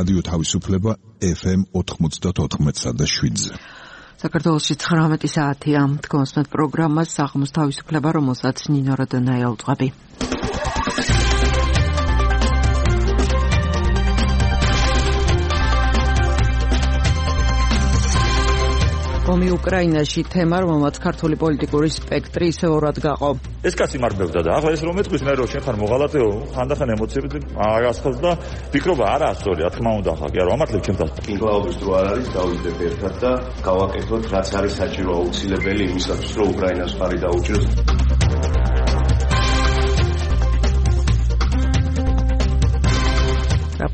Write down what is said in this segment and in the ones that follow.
რადიო თავისუფლება FM 94.7-ზე. საქართველოში 19 საათია. თქვენს პროგრამას საღამოს თავისუფლება, რომელსაც ნინო როდონაია უძღვები. ომი უკრაინაში თემა, რომელმაც ქართული პოლიტიკური სპექტრი ისევ ორად გაყო. ეს კაცი მარბევდა და ახლა ეს რომ ეთქვის მე რომ შენ ხარ მოღალატეო, ხანდახან ემოციებით აღასხელს და ფიქრობა არა სწორია, რა თქმა უნდა ხა, კი არა, ამართლებ ჩემთან. ინკლაუვის დრო არ არის, დავიდეთ ერთად და გავაკეთოთ რაც არის საჭირო აუცილებელი იმისათვის, რომ უკრაინას ხარი დაუჭიროს.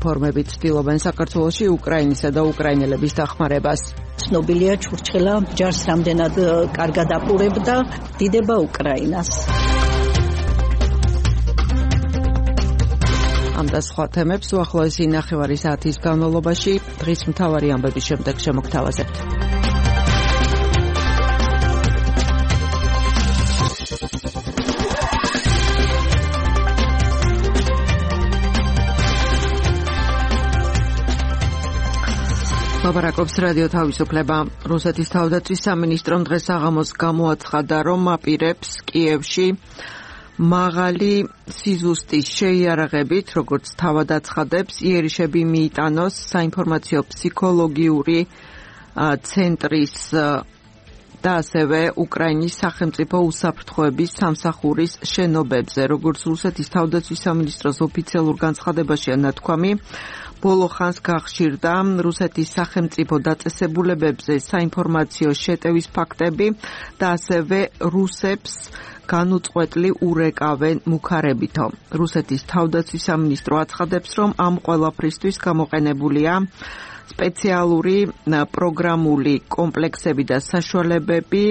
რეფორმები ცდილობენ საქართველოში უკრაინისა და უკრაინელების დახმარებას. ცნობილია ჩურჩხელა ჯარს რამდენად კარგად აპურებდა, დიდება უკრაინას. ამ და სხვა თემებს უახლოესი ნახევარი საათის განმავლობაში დღის მთავარი ამბების შემდეგ შემოგთავაზებთ. ლაპარაკობს რადიო თავისუფლება. რუსეთის თავდაცვის სამინისტრომ დღეს საღამოს გამოაცხადა, რომ აპირებს კიევში მაღალი სიზუსტის შეიარაღებით, როგორც თავად აცხადებს, იერიშები მიიტანოს საინფორმაციო ფსიქოლოგიური ცენტრის და ასევე უკრაინის სახელმწიფო უსაფრთხოების სამსახურის შენობებზე. როგორც რუსეთის თავდაცვის სამინისტროს ოფიციალურ განცხადებაშია ნათქვამი, ბოლო ხანს გახშირდა რუსეთის სახელმწიფო დაწესებულებებზე საინფორმაციო შეტევის ფაქტები და ასევე რუსებს განუწყვეტლი урეკავენ მუქარებითო. რუსეთის თავდაცვის სამინისტრო აცხადებს, რომ ამ ყველაფრისთვის გამოყენებულია სპეციალური პროგრამული კომპლექსები და საშუალებები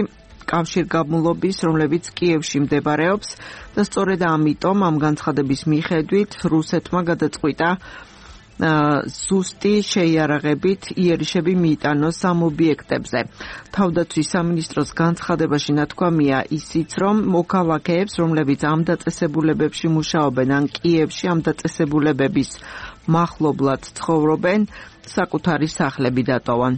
კავშირგაბმულობის, რომლებიც კიევში მდებარეობს და სწორედ ამიტომ ამ განცხადების მიხედვით რუსეთმა გადაწყვიტა ზუსტი შეიარაღებით იერიშები მიიტანოს ამ ობიექტებზე. თავდაცვის სამინისტროს განცხადებაში ნათქვამია ისიც, რომ მოქალაქეებს, რომლებიც ამ დაწესებულებებში მუშაობენ ან კიევში ამ დაწესებულებების მახლობლად ცხოვრობენ, საკუთარი სახლები დატოვან.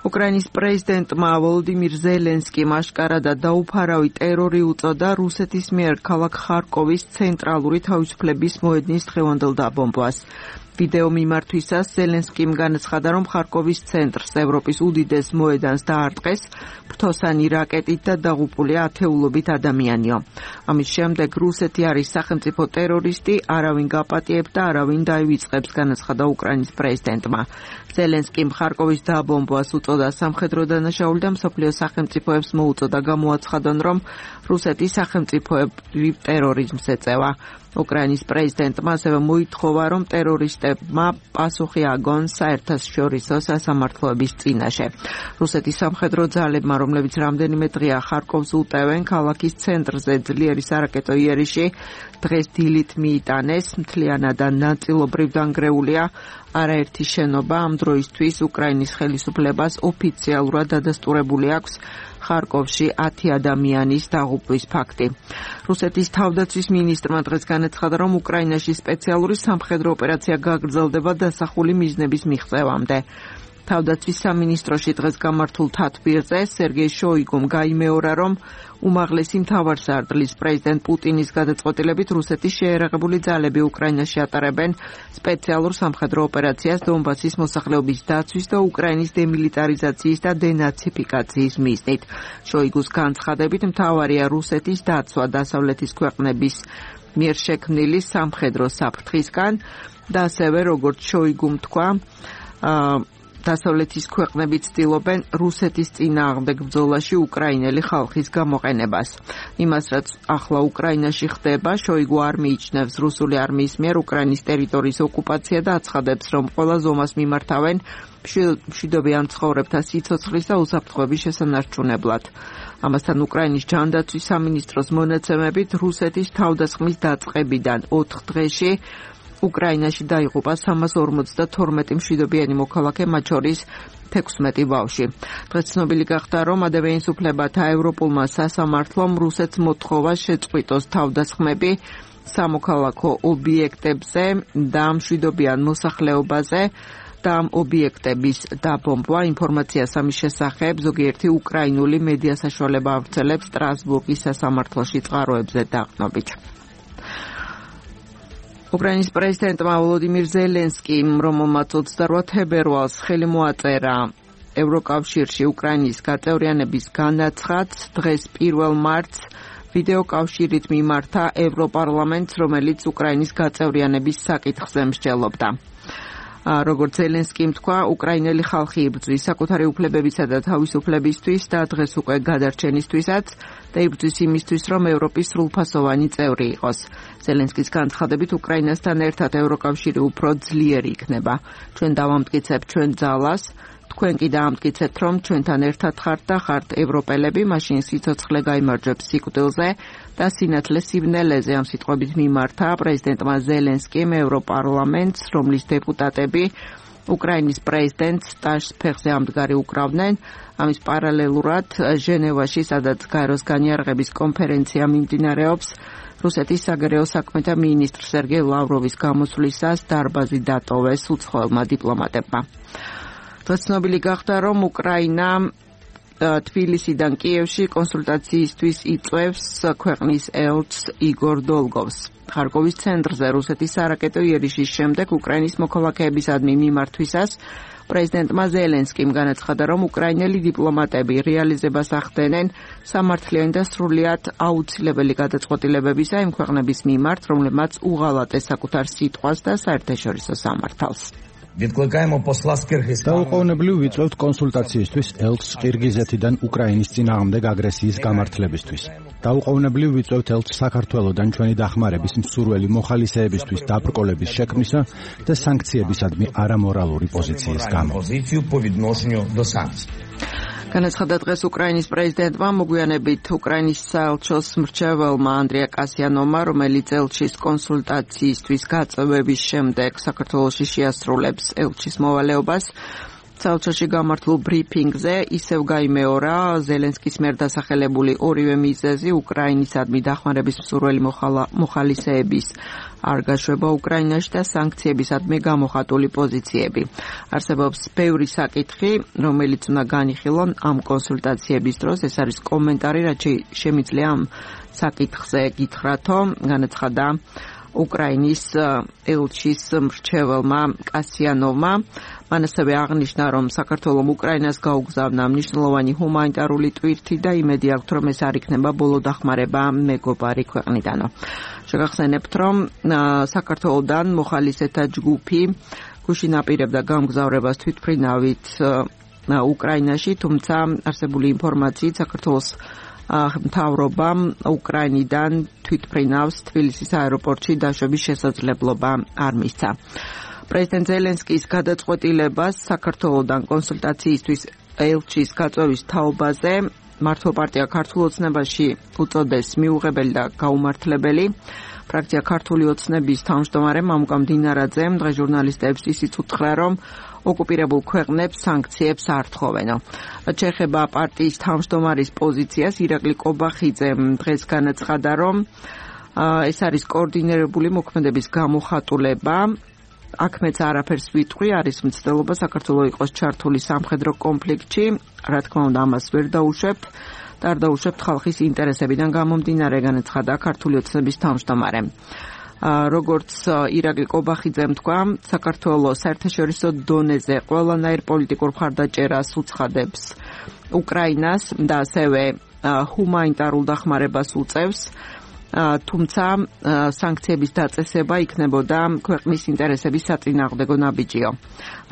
უკრაინის პრეზიდენტმა ვოლოდიმირ ზელენსკიმ აშკარადად დაუფარავი ტერორი უწოდა რუსეთის მიერ ქალაქ ხარკოვის ცენტრალური თავისუფლების მოედნის დღევანდელ დაბომბვას. ვიდეო მიმართვისას ზელენსკიმ განაცხადა, რომ ხარკოვის ცენტრს, ევროპის უდიდეს მოედანს დაარტყეს ფრთოსანი რაკეტით და დაღუპულია ათეულობით ადამიანიო. ამის შემდეგ რუსეთი არის სახელმწიფო ტერორისტი, არავინ გაპატიებ და არავინ დაივიწყებს, განაცხადა უკრაინის პრეზიდენტმა. ზელენსკიმ ხარკოვის დაბომბვას უწოდა სამხედრო დანაშაული და მსოფლიო სახელმწიფოებს მოუწოდა გამოაცხადონ, რომ რუსეთი სახელმწიფოებრივ ტერორიზმს ეწევა. უკრაინის პრეზიდენტმა ასევე მოითხოვა, რომ ტერორისტებმა პასუხი აგონ საერთაშორისო სასამართლოების წინაშე. რუსეთის სამხედრო ძალებმა, რომლებიც რამდენიმე დღეა ხარკოვს უტევენ, ქალაქის ცენტრზე ძლიერი სარაკეტო იერიში დღეს დილით მიიტანეს, მთლიანად და ნაწილობრივ დანგრეულია არაერთი შენობა. ამ დროისთვის უკრაინის ხელისუფლებას ოფიციალურად დადასტურებული აქვს ხარკოვში 10 ადამიანის დაღუპვის ფაქტი. რუსეთის თავდაცვის მინისტრმა დღეს განაცხადა, რომ უკრაინაში სპეციალური სამხედრო ოპერაცია გაგრძელდება დასახული მიზნების მიღწევამდე. თავდაცვის სამინისტროში დღეს გამართულ თათბირზე სერგეი შოიგუმ გაიმეორა, რომ უმაღლესი მთავარსარდლის პრეზიდენტ პუტინის გადაწყვეტილებით რუსეთის შეიარაღებული ძალები უკრაინაში ატარებენ სპეციალურ სამხედრო ოპერაციას დონბასის მოსახლეობის დაცვის და უკრაინის დემილიტარიზაციის და დენაციფიკაციის მიზნით. შოიგუს განცხადებით მთავარია რუსეთის დაცვა დასავლეთის ქვეყნების მიერ შექმნილი სამხედრო საფრთხისგან და ასევე როგორც შოიგუმ თქვა, დასავლეთის ქვეყნები ცდილობენ რუსეთის წინააღმდეგ ბრძოლაში უკრაინელი ხალხის გამოყენებას. იმას, რაც ახლა უკრაინაში ხდება, შოიგუ არ მიიჩნევს რუსული არმიის მიერ უკრაინის ტერიტორიის ოკუპაცია და აცხადებს, რომ ყველა ზომას მიმართავენ მშვიდობიან მცხოვრებთა სიცოცხლის და უსაფრთხოების შესანარჩუნებლად. ამასთან უკრაინის ჯანდაცვის სამინისტროს მონაცემებით რუსეთის თავდასხმის დაწყებიდან 4 დღეში უკრაინაში დაიღუპა 352 მშვიდობიანი მოქალაქე, მათ შორის 16 ბავშვი. დღეს ცნობილი გახდა, რომ ადამიანის უფლებათა ევროპულმა სასამართლომ რუსეთს მოთხოვა შეწყვიტოს თავდასხმები სამოქალაქო ობიექტებზე და მშვიდობიან მოსახლეობაზე და ობიექტების დაბომბვა. ინფორმაციას ამის შესახებ ზოგიერთი უკრაინული მედია საშუალება ავრცელებს სტრასბურგის სასამართლოში წყაროებზე დაყრდნობით. უკრაინის პრეზიდენტმა ვოლოდიმირ ზელენსკიმ, რომელმაც 28 თებერვალს ხელი მოაწერა ევროკავშირში უკრაინის გაწევრიანების განაცხადს, დღეს 1 მარტს ვიდეოკავშირით მიმართა ევროპარლამენტს, რომელიც უკრაინის გაწევრიანების საკითხზე მსჯელობდა. როგორც ზელენსკიმ თქვა, უკრაინელი ხალხი იბრძვის საკუთარი უფლებებისა და თავისუფლებისთვის და დღეს უკვე გადარჩენისთვისაც და იბრძვის იმისთვის, რომ ევროპის სრულფასოვანი წევრი იყოს. ზელენსკის განცხადებით, უკრაინასთან ერთად ევროკავშირი უფრო ძლიერი იქნება. ჩვენ დავამტკიცებთ ჩვენ ძალას, თქვენ კი დაამტკიცებთ, რომ ჩვენთან ერთად ხართ და ხართ ევროპელები, მაშინ სიცოცხლე გაიმარჯვებს სიკვდილზე და სინათლე სივნელეზე. ამ სიტყვებით მიმართა პრეზიდენტმა ზელენსკიმ ევროპარლამენტს, რომლის დეპუტატები უკრაინის პრეზიდენტს ტაშს ფეხზე ამდგარი უკრავდნენ. ამის პარალელურად ჟენევაში, სადაც გაეროს განიარაღების კონფერენცია მიმდინარეობს, რუსეთის საგარეო საქმეთა მინისტრ სერგეი ლავროვის გამოსვლისას დარბაზი დატოვეს უცხოელმა დიპლომატებმა. ცნობილი გახდა, რომ უკრაინა თბილისიდან კიევში კონსულტაციისთვის იწვევს ქვეყნის ელჩს იგორ დოლგოვს. ხარკოვის ცენტრზე რუსეთის სარაკეტო იერიშის შემდეგ უკრაინის მოქალაქეებისადმი მიმართვისას პრეზიდენტმა ზელენსკიმ განაცხადა, რომ უკრაინელი დიპლომატები რეალიზებას ახდენენ სამართლიანი და სრულიად აუცილებელი გადაწყვეტილებებისა იმ ქვეყნების მიმართ, რომლებმაც უღალატეს საკუთარ სიტყვას და საერთაშორისო სამართალს. დაუყოვნებლივ ვიწვევთ კონსულტაციისთვის ელჩს ყირგიზეთიდან უკრაინის წინააღმდეგ აგრესიის გამართლებისთვის. დაუყოვნებლივ ვიწვევთ ელჩს საქართველოდან ჩვენი დახმარების მსურველი მოხალისეებისთვის დაბრკოლების შექმნისა და სანქციებისადმი არამორალური პოზიციის გამო. განაცხადა დღეს უკრაინის პრეზიდენტმა მოგვიანებით უკრაინის საელჩოს მრჩეველმა ანდრია კასიანოვმა, რომელიც ელჩის კონსულტაციისთვის გაწევების შემდეგ საქართველოში შეასრულებს ელჩის მოვალეობას. საელჩოში გამართულ ბრიფინგზე ისევ გაიმეორა ზელენსკის მიერ დასახელებული ორივე მიზეზი, უკრაინისადმი დახმარების მსურველი მოხალისეების არ გაშვება უკრაინაში და სანქციებისადმი გამოხატული პოზიციები. არსებობს ბევრი საკითხი, რომელიც უნდა განიხილონ ამ კონსულტაციების დროს. ეს არის კომენტარი, რაც შემიძლია ამ საკითხზე გითხრათო, განაცხადა უკრაინის ელჩის მრჩეველმა კასიანოვმა. მან ასევე აღნიშნა, რომ საქართველომ უკრაინას გაუგზავნა მნიშვნელოვანი ჰუმანიტარული ტვირთი და იმედი აქვთ, რომ ეს არ იქნება ბოლო დახმარება მეგობარი ქვეყნიდანო. შეგახსენებთ, რომ საქართველოდან მოხალისეთა ჯგუფი გუშინ აპირებდა გამგზავრებას თვითმფრინავით უკრაინაში, თუმცა არსებული ინფორმაციით საქართველოს მთავრობამ უკრაინიდან თვითმფრინავს თბილისის აეროპორტში დაშვების შესაძლებლობა არ მისცა. პრეზიდენტ ზელენსკის გადაწყვეტილებას საქართველოდან კონსულტაციისთვის ელჩის გაწვევის თაობაზე მართლ პარტია ქართულ ოცნებაში უწოდეს მიუღებელი და გაუმართლებელი. ფრაქცია ქართული ოცნების თავმჯდომარე მამუკა მდინარაძემ დღეს ჟურნალისტებს ისიც უთხრა, რომ ოკუპირებულ ქვეყნებს სანქციებს არ თხოვენო. შეეხება პარტიის თავმჯდომარის პოზიციას, ირაკლი კობახიძემ დღეს განაცხადა, რომ ეს არის კოორდინირებული მოქმედების გამოხატულება. აქ მეც არაფერს ვიტყვი, არის მცდელობა საქართველოს იყოს ჩართული სამხედრო კონფლიქტში, რა თქმა უნდა ამას ვერ დაუშვებთ და არ დაუშვებთ ხალხის ინტერესებიდან გამომდინარე, განაცხადა ქართული ოცნების თავმჯდომარემ. როგორც ირაკლი კობახიძემ თქვა, საქართველოს საერთაშორისო დონეზე ყველანაირ პოლიტიკურ მხარდაჭერას უცხადებს უკრაინას და ასევე ჰუმანიტარულ დახმარებას უწევს. თუმცა სანქციების დაწესება იქნებოდა ქვეყნის ინტერესების საწინააღმდეგო ნაბიჯიო.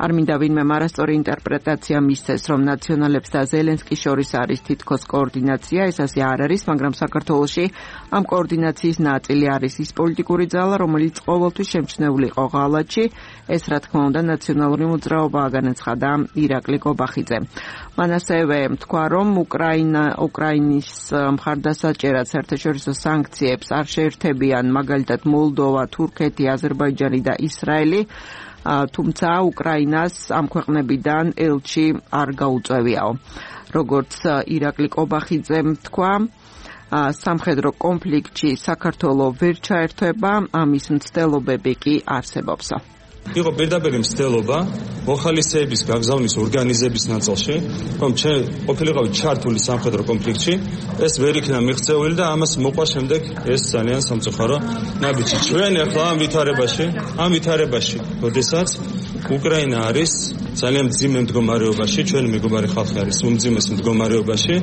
არ მინდა ვინმე არასწორი ინტერპრეტაცია მისცეს, რომ ნაციონალებს და ზელენსკის შორის არის თითქოს კოორდინაცია, ეს ასე არ არის, მაგრამ საქართველოში ამ კოორდინაციის ნაწილი არის ის პოლიტიკური ძალა, რომელიც ყოველთვის შემჩნეული იყო ღალატში. ეს რა თქმა უნდა ნაციონალური მოძრაობაა, განაცხადა ირაკლი კობახიძე. მან ასევე თქვა, რომ უკრაინის მხარდასაჭერად საერთაშორისო სანქციებს არ შეერთებიან მაგალითად მოლდოვა, თურქეთი, აზერბაიჯანი და ისრაელი, თუმცა უკრაინას ამ ქვეყნებიდან ელჩი არ გაუწევიაო. როგორც ირაკლი კობახიძემ თქვა, სამხედრო კონფლიქტში საქართველო ვერ ჩაერთვება, ამის მცდელობები კი არსებობს. იყო პირდაპირ მცდელობა მოხალისეების გაგზავნის ორგანიზების ნაწილში, რომ ჩვენ ყოფილიყავით ჩართული სამხედრო კონფლიქტში, ეს ვერ იქნა მიღწეული და ამას მოყვა შემდეგ ეს ძალიან სამწუხარო ნაბიჯი. ჩვენ ახლა ამ ვითარებაში, როდესაც უკრაინა არის ძალიან მძიმე მდგომარეობაში, ჩვენი მეგობარი ხალხი არის უმძიმეს მდგომარეობაში,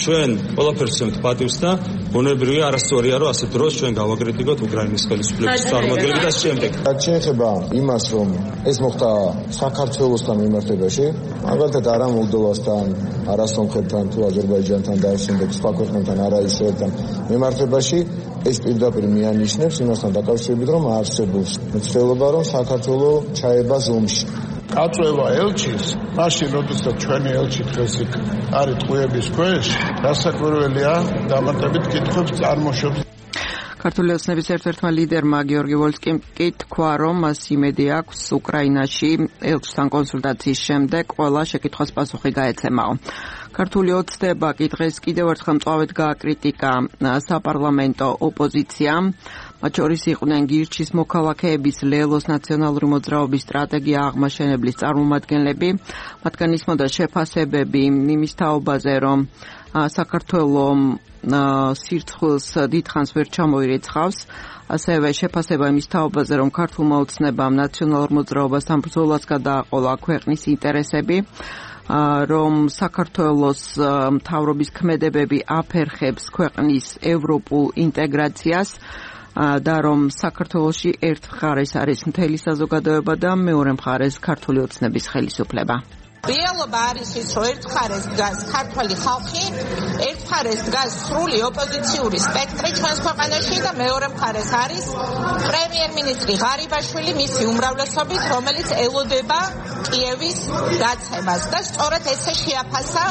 ჩვენ ყველაფერს ვცემთ პატივს და ბუნებრივია არასწორია, რომ ასეთ დროს ჩვენ გავაკრიტიკოთ უკრაინის ხელისუფლების წარმომადგენლები და შემდეგ. შეეხება იმას, რომ ეს მოხდა საქართველოსთან მიმართებაში, მაგალითად არა მოლდოვასთან, არა სომხეთთან, თუ აზერბაიჯანთან და შემდეგ სხვა ქვეყნებთან, არა ისრაელთან მიმართებაში, ეს პირდაპირ მიანიშნებს იმასთან დაკავშირებით, რომ არსებობს მცდელობა, რომ საქართველო ჩაება ომში. აწვევა ელჩის, მაშინ როდესაც ჩვენი ელჩი დღეს იქ არის ტყუების ქვეშ, დასაკვირველია დამატებით კითხვებს წარმოშობს. ქართული ოცნების ერთ-ერთმა ლიდერმა გიორგი ვოლსკიმ კი თქვა, რომ მას იმედი აქვს უკრაინაში ელჩთან კონსულტაციის შემდეგ ყველა შეკითხვას პასუხი გაეცემაო. ქართული ოცნება კი დღეს კიდევ ერთხელ მწვავედ გააკრიტიკა საპარლამენტო ოპოზიციამ. მათ შორის იყვნენ გირჩის მოქალაქეების ლელოს ნაციონალური მოძრაობის სტრატეგია აღმაშენებლის წარმომადგენლები. მათგან ისმოდა შეფასებები იმის თაობაზე, რომ საქართველოს სირცხვილს დიდხანს ვერ ჩამოირიცხავს, ასევე შეფასება იმის თაობაზე, რომ ქართულმა ოცნებამ ნაციონალურ მოძრაობასთან ბრძოლას გადააყოლა ქვეყნის ინტერესები, რომ საქართველოს მთავრობის ქმედებები აფერხებს ქვეყნის ევროპულ ინტეგრაციას და რომ საქართველოში ერთ მხარეს არის მთელი საზოგადოება და მეორე მხარეს ქართული ოცნების ხელისუფლება. რეალობა არის ის, რომ ერთ მხარეს დგას ქართველი ხალხი, ერთ მხარეს დგას სრული ოპოზიციური სპექტრი ჩვენს ქვეყანაში და მეორე მხარეს არის პრემიერ-მინისტრი ღარიბაშვილი მისი უმრავლესობით, რომელიც ელოდება კიევის დაცემას და სწორედ ესე შეაფასა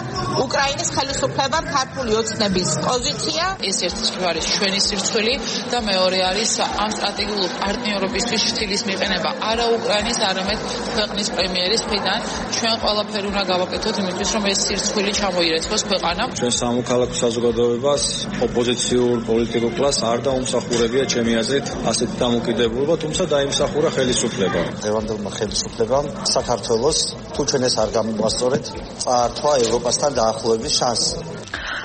უკრაინის ხელისუფლებამ ქართული ოცნების პოზიცია. ეს ერთი არის ჩვენი სირცხვილი და მეორე არის ამ სტრატეგიული პარტნიორობისთვის შთილის მიყენება არა უკრაინის, არამედ ქვეყნის პრემიერის მხრიდან. ჩვენ ყველაფერი უნდა გავაკეთოთ იმისთვის, რომ ეს სირცხვილი ჩამოირეცხოს ქვეყანა. ჩვენ სამოქალაქო საზოგადოებას, ოპოზიციურ პოლიტიკურ კლასს არ დაუმსახურებია ჩემი აზრით ასეთი დამოკიდებულება, თუმცა დაიმსახურა ხელისუფლება. დღევანდელმა ხელისუფლებამ საქართველოს თუ ჩვენ ეს არ გამოვასწორეთ, წაართვა ევროპასთან დაახლოების შანსი.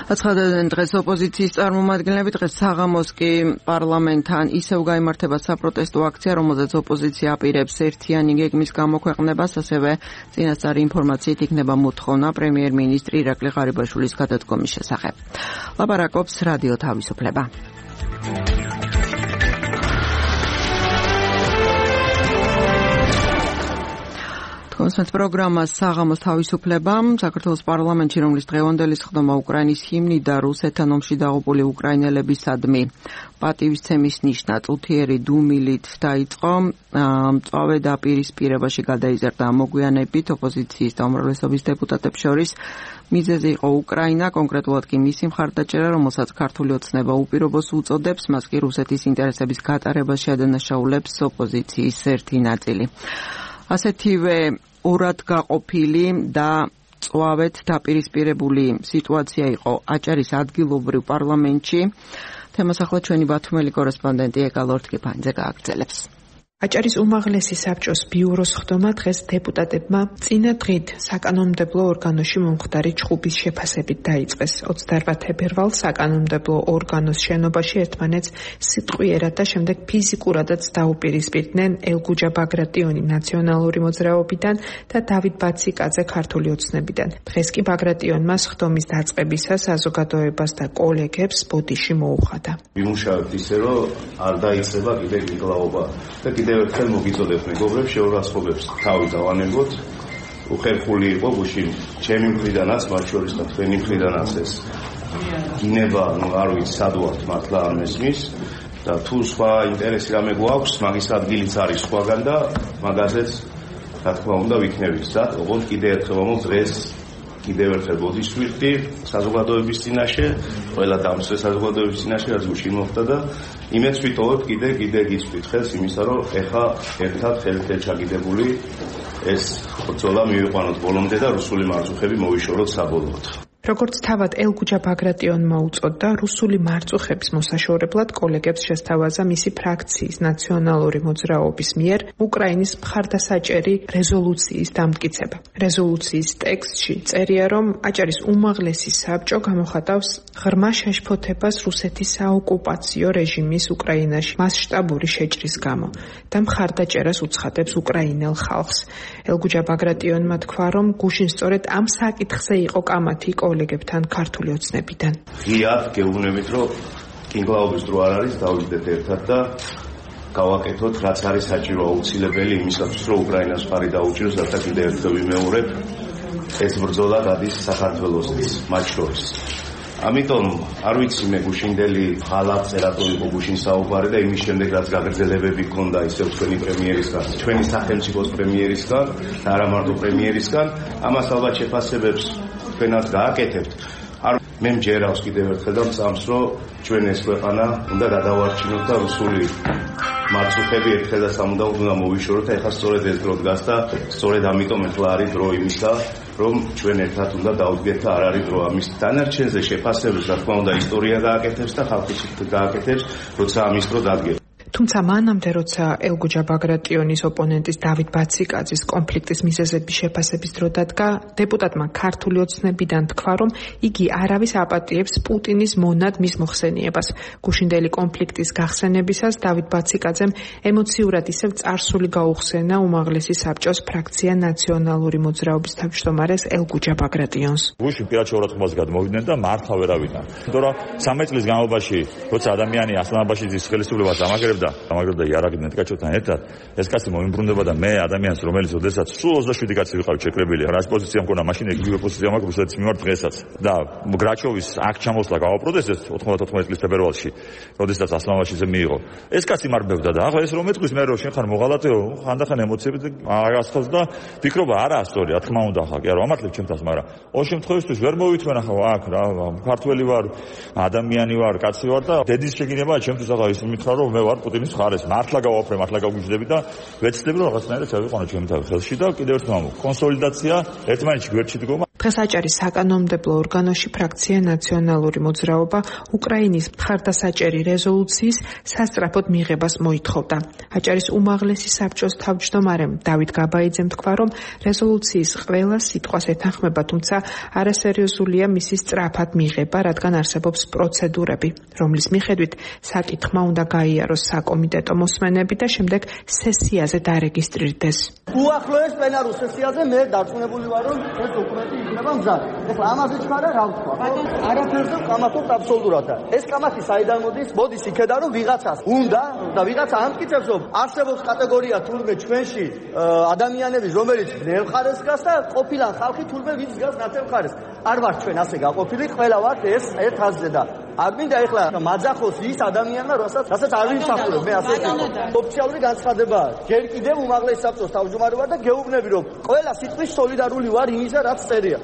აცხადებდნენ დღეს ოპოზიციის წარმომადგენლები. დღეს საღამოს კი პარლამენტთან ისევ გაიმართება საპროტესტო აქცია, რომელზეც ოპოზიცია აპირებს ერთიანი გეგმის გამოქვეყნებას, ასევე წინასწარი ინფორმაციით იქნება მოთხოვნა პრემიერ-მინისტრი ირაკლი ღარიბაშვილის გადადგომის შესახებ. ლაპარაკობს რადიო თავისუფლება. კონსერტ პროგრამას საღამოს თავისუფლებამ საქართველოს პარლამენტში, რომლის დღევანდელი სხდომა უკრაინის ჰიმნი და რუსეთთან ომში დაღუპული უკრაინელებისადმი პატივისცემის ნიშნად წუთიერი დუმილით დაიწყო. მწვავე დაპირისპირებაში გადაიზარდა მოგვიანებით ოპოზიციის და უმრავლესობის დეპუტატებს შორის. მიზეზი იყო უკრაინა, კონკრეტულად კი მისი მხარდაჭერა, რომელსაც ქართული ოცნება უპირობოს უწოდებს, მას კი რუსეთის ინტერესების გატარებაში ადანაშაულებს ოპოზიციის ერთი ნაწილი. ასეთივე ორად გაყოფილი და წვავეთ დაპირისპირებული სიტუაცია იყო აჭარის ადგილობრივ პარლამენტში. თემას ახლა ჩვენი ბათუმელი კორესპონდენტი ეკალ ორთქიფანიძე გააგრძელებს. აჭარის უმაღლესი საბჭოს ბიუროს ხდომა დღეს დეპუტატებმა წინა დღით საკანონმდებლო ორგანოში მომხდარი ჩხუბის შეფასებით დაიწყეს. 28 თებერვალს საკანონმდებლო ორგანოს შენობაში ერთმანეთს სიტყვიერად და შემდეგ ფიზიკურადაც დაუპირისპირდნენ ელგუჯა ბაგრატიონი ნაციონალური მოძრაობიდან და დავით ბაციკაძე ქართული ოცნებიდან. დღეს კი ბაგრატიონმა ხდომის დაწყებისას საზოგადოებას და კოლეგებს ბოდიში მოუხადა. ვიმუშავებთ ისე, რომ არ დაიწყება კიდე გიგლაობა და კიდევ ერთხელ მოგიწოდეთ მეგობრებს, შეურაცხყოფებს თავი დავანებოთ. უხერხული იყო გუშინ ჩემი მხრიდანაც, მათ შორის და თქვენი მხრიდანაც ეს გინება, არ ვიცი სად ვართ მართლა არ მესმის და თუ სხვა ინტერესი რამე გვაქვს, მაგის ადგილიც არის სხვაგან და მაგაზეც რა თქმა უნდა ვიქნებით და ოღონდ კიდევ ერთხელ მომო დღეს კიდევ ერთხელ ბოდიშს ვიხდი საზოგადოების წინაშე, ყველა დამცვე საზოგადოების წინაშე, რაც გუშინ მოხდა და იმედს ვიტოვებ კიდე გიწვით ხელს იმისა, რომ ეხა ერთად ხელით ჩაგიდებული ეს ბრძოლა მივიყვანოთ ბოლომდე და რუსული მარწუხები მოვიშოროთ საბოლოოდ. როგორც თავად ელგუჯა ბაგრატიონმა უწოდა, რუსული მარწუხების მოსაშორებლად კოლეგებს შესთავაზა მისი ფრაქციის ნაციონალური მოძრაობის მიერ უკრაინის მხარდასაჭერი რეზოლუციის დამტკიცება. რეზოლუციის ტექსტში წერია, რომ აჭარის უმაღლესი საბჭო გამოხატავს ღრმა შეშფოთებას რუსეთის საოკუპაციო რეჟიმის უკრაინაში მასშტაბური შეჭრის გამო და მხარდაჭერას უცხადებს უკრაინელ ხალხს. ელგუჯა ბაგრატიონმა თქვა, რომ გუშინ სწორედ ამ საკითხზე იყო კამათი კოლეგებთან ქართული ოცნებიდან. ღიად გეუბნებით, რომ კინგლაობის დრო არ არის, დავიდეთ ერთად და გავაკეთოთ, რაც არის საჭირო აუცილებელი იმისათვის, რომ უკრაინას მხარი დაუჭიროს და კიდევ ერთხელ ვიმეორებ, ეს ბრძოლა გადის საქართველოსთვის, მათ შორის. ამიტომ არ ვიცი მე გუშინდელი ხალხს რატო იყო გუშინ საუბარი და იმის შემდეგ რაც გაგრძელებები ქონდა ისევ ჩვენი პრემიერისგან, ჩვენი სახელმწიფოს პრემიერისგან და არა მარტო პრემიერისგან, ამას ალბათ შეფასებებს თქვენაც გააკეთებთ. მე მჯერავს კიდევ ერთხელ და მწამს, რომ ჩვენ ეს ქვეყანა უნდა გადავარჩინოთ და რუსული მარწუხები ერთხელ და სამუდამოდ უნდა მოვიშოროთ. ეხლა სწორედ ეს დრო დგას და სწორედ ამიტომ ეხლა არის დრო იმისა, რომ ჩვენ ერთად უნდა დავდგეთ და არ არის დრო ამის დანარჩენზე შეფასებებს, რა თქმა უნდა, ისტორია გააკეთებს და ხალხი გააკეთებს, როცა ამის დრო დადგება. თუმცა მანამდე, როცა ელგუჯა ბაგრატიონის ოპონენტის დავით ბაციკაძის კონფლიქტის მიზეზების შეფასების დრო დადგა, დეპუტატმა ქართული ოცნებიდან თქვა, რომ იგი არავის აპატიებს პუტინის მონად მის მოხსენიებას. გუშინდელი კონფლიქტის გახსენებისას დავით ბაციკაძემ ემოციურად ისევ წარსული გაუხსენა უმაღლესი საბჭოს ფრაქცია ნაციონალური მოძრაობის თავმჯდომარეს ელგუჯა ბაგრატიონს. გუშინ პირად შეურაცხყოფას გადმოვიდნენ და მართლა ვერ ავიდნენ. იმიტომ რომ 13 წლის განმავლობაში, როცა ადამიანი ასლანაბაშიძის ხელისუფლებას ამაგრებდა იარაღიდან ტკაჩოვთან ერთად, ეს კაცი მოიმბრუნდება და მე ადამიანს, რომელიც ოდესაც სულ 27 კაცი ვიყავი შეკრებილი, რას პოზიცია მქონდა მაშინ იგივე პოზიცია მაქვს რუსეთის მიმართ დღესაც. და გრაჩოვის აქ ჩამოსვლა გავაპროტესტეს 94 წლის ფებრუარში, როდესაც ასლანაბაშიძე მიიღო. ეს კაცი მარბევდა და ახლა ეს რომ ეთქვის მე რომ შენ ხარ მოღალატეო, ხანდახან ემოციები აღასხავს და ფიქრობა არა სწორი, რა თქმა უნდა ხა, კი არა, ამართლებ ჩემთანს, მაგრამ ორ შემთხვევისთვის ვერ მოვითმენ ახლა აქ რა, ქართველი ვარ, ადამიანი ვარ, კაცი ვარ და დედის შეგინებაა ჩემთვის ახლა ის მითხრა რომ მე ვარ პუტინის მხარეს, მართლა გავაფრე, მართლა გავგიჟდები და ვეცდები რომ რაღაცნაირად შევიყვანო ჩემი თავი ხელში და კიდევ ერთხელ კონსოლიდაცია ერთმანეთში გვერდში დგომა. დღეს აჭარის საკანონმდებლო ორგანოში ფრაქცია ნაციონალური მოძრაობა უკრაინის მხარდასაჭერი რეზოლუციის სასწრაფოდ მიღებას მოითხოვდა. აჭარის უმაღლესი საბჭოს თავმჯდომარემ დავით გაბაიძემ თქვა, რომ რეზოლუციის ყველა სიტყვას ეთანხმება, თუმცა არასერიოზულია მისი სწრაფად მიღება, რადგან არსებობს პროცედურები, რომლის მიხედვით საკითხმა უნდა გაიაროს საკომიტეტო მოსმენები და შემდეგ სესიაზე დარეგისტრირდეს. უახლოეს პლენარულ სესიაზე მე დარწმუნებული ვარ, რომ ეს დოკუმენტი იქნება მზად. ეხლა ამაზე ჩქარა რა ვთქვა? არაფერზე ვკამათობთ აბსოლუტურად და ეს კამათი საიდან მოდის? მოდის იქედან, რომ ვიღაცას უნდა და ვიღაცა ამტკიცებს, რომ არსებობს კატეგორია თურმე ჩვენში ადამიანების, რომელიც ბნელ მხარეს დგას და ყოფილან ხალხი თურმე ვინც დგას ნათელ მხარეს. არ ვართ ჩვენ ასე გაყოფილი, ყველა ვართ ეს ერთ ხაზზე და არ მინდა ეხლა მაძახოს ის ადამიანმა, რასაც არ ვიმსახურებ, მე ასე ვთქვი. ოფიციალური განცხადებაა. ჯერ კიდევ უმაღლესი საბჭოს თავმჯდომარე ვარ და გეუბნები, რომ ყველა სიტყვის სოლიდარული ვარ იმისა, რაც წერია.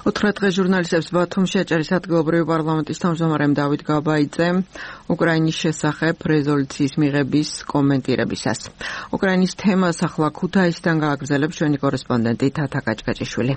უთხრა დღეს ჟურნალისტებს ბათუმში აჭარის ადგილობრივი პარლამენტის თავმჯდომარემ დავით გაბაიძემ უკრაინის შესახებ რეზოლუციის მიღების კომენტირებისას. უკრაინის თემას ახლა ქუთაისიდან გააგრძელებს ჩვენი კორესპონდენტი თათა კაჭკაჭიშვილი.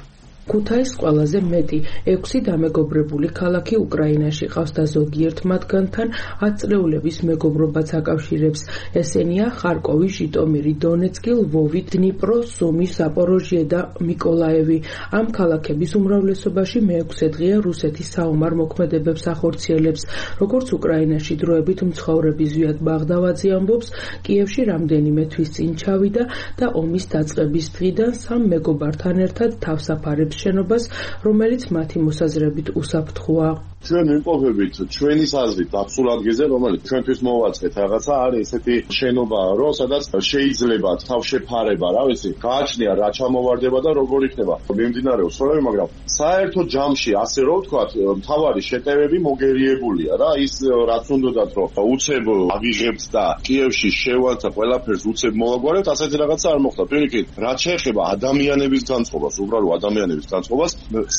ქუთაის ყველაზე მეტი 6 დამეგობრებული ქალაქი უკრაინაში ყავს და ზოგიერთ მათგანთან 10 წლეულების მეგობრობაც აკავშირებს. ესენია ხარკოვი, ჟიტომირი, დონეცკი, ლვოვი, დნიპრო, სუმი, ზაპოროჟიე და მიკოლაევი. ამ ქალაქების უმრავლესობაში მე-6 დღეა რუსეთის საომარ მოქმედებებს ახორციელებს. როგორც უკრაინაში დროებით მცხოვრები ზვიად ბაღდავაძე ამბობს, კიევში რამდენიმე თვის წინ ჩავიდა და ომის დაწყების დღიდან სამ მეგობართან ერთად თავსაფარებს შენობას, რომელიც მათი მოსაზრებით უსაფრთხოა. ჩვენ ვიმყოფებით ჩვენის აზრით აბსოლუტ ადგილზე, რომელიც ჩვენთვის მოვაწყეთ რაღაცა, არის ესეთი შენობა, რომ სადაც შეიძლება თავშეფარება, რა ვიცი, გააჩნია რა ჩამოვარდება და როგორ იქნება. მიმდინარეობს სწორები, მაგრამ საერთო ჯამში, ასე რომ ვთქვათ, მთავარი შეტევები მოგერიებულია რა, ის რაც უნდათ, რომ უცებ აღიღებთ და კიევში შევალთ და ყველაფერს უცებ მოვაგვარებთ, ასეთი რაღაცა არ მოხდა. პირიქით, რაც შეეხება ადამიანების განწყობას, უბრალოდ ადამიანების განწყობას,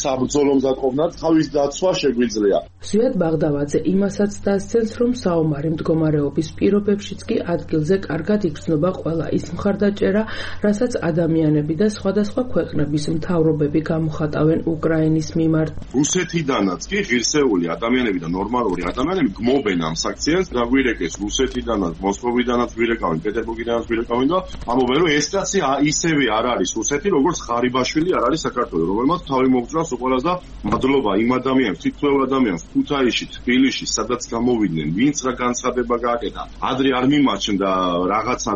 საბრძოლო მზადყოფნად თავის დაცვა შეგვიძლია. მიღწევია. ზვიად ბაღდავაძე იმასაც დასცენს, რომ საომარი მდგომარეობის პირობებშიც კი ადგილზე კარგად იგრძნობა ყველა ის მხარდაჭერა, რასაც ადამიანები და სხვადასხვა ქვეყნების მთავრობები გამოხატავენ უკრაინის მიმართ. რუსეთიდანაც კი ღირსეული ადამიანები და ნორმალური ადამიანები გმობენ ამ საქციელს, დაგვირეკეს რუსეთიდანაც, მოსკოვიდანაც გვირეკავენ, პეტერბურგიდანაც გვირეკავენ და ამბობენ, რომ ეს კაცი ისევე არ არის რუსეთი, როგორც ღარიბაშვილი არ არის საქართველო, რომელმაც თავი მოგწრას უყოლას და მადლობა იმ ადამიანს, თითოეულ ადამიანს ქუთაისში, თბილისში, სადაც გამოვიდნენ, ვინც რა განცხადება გააკეთა. ადრე არ მიმაჩნდა რაღაცა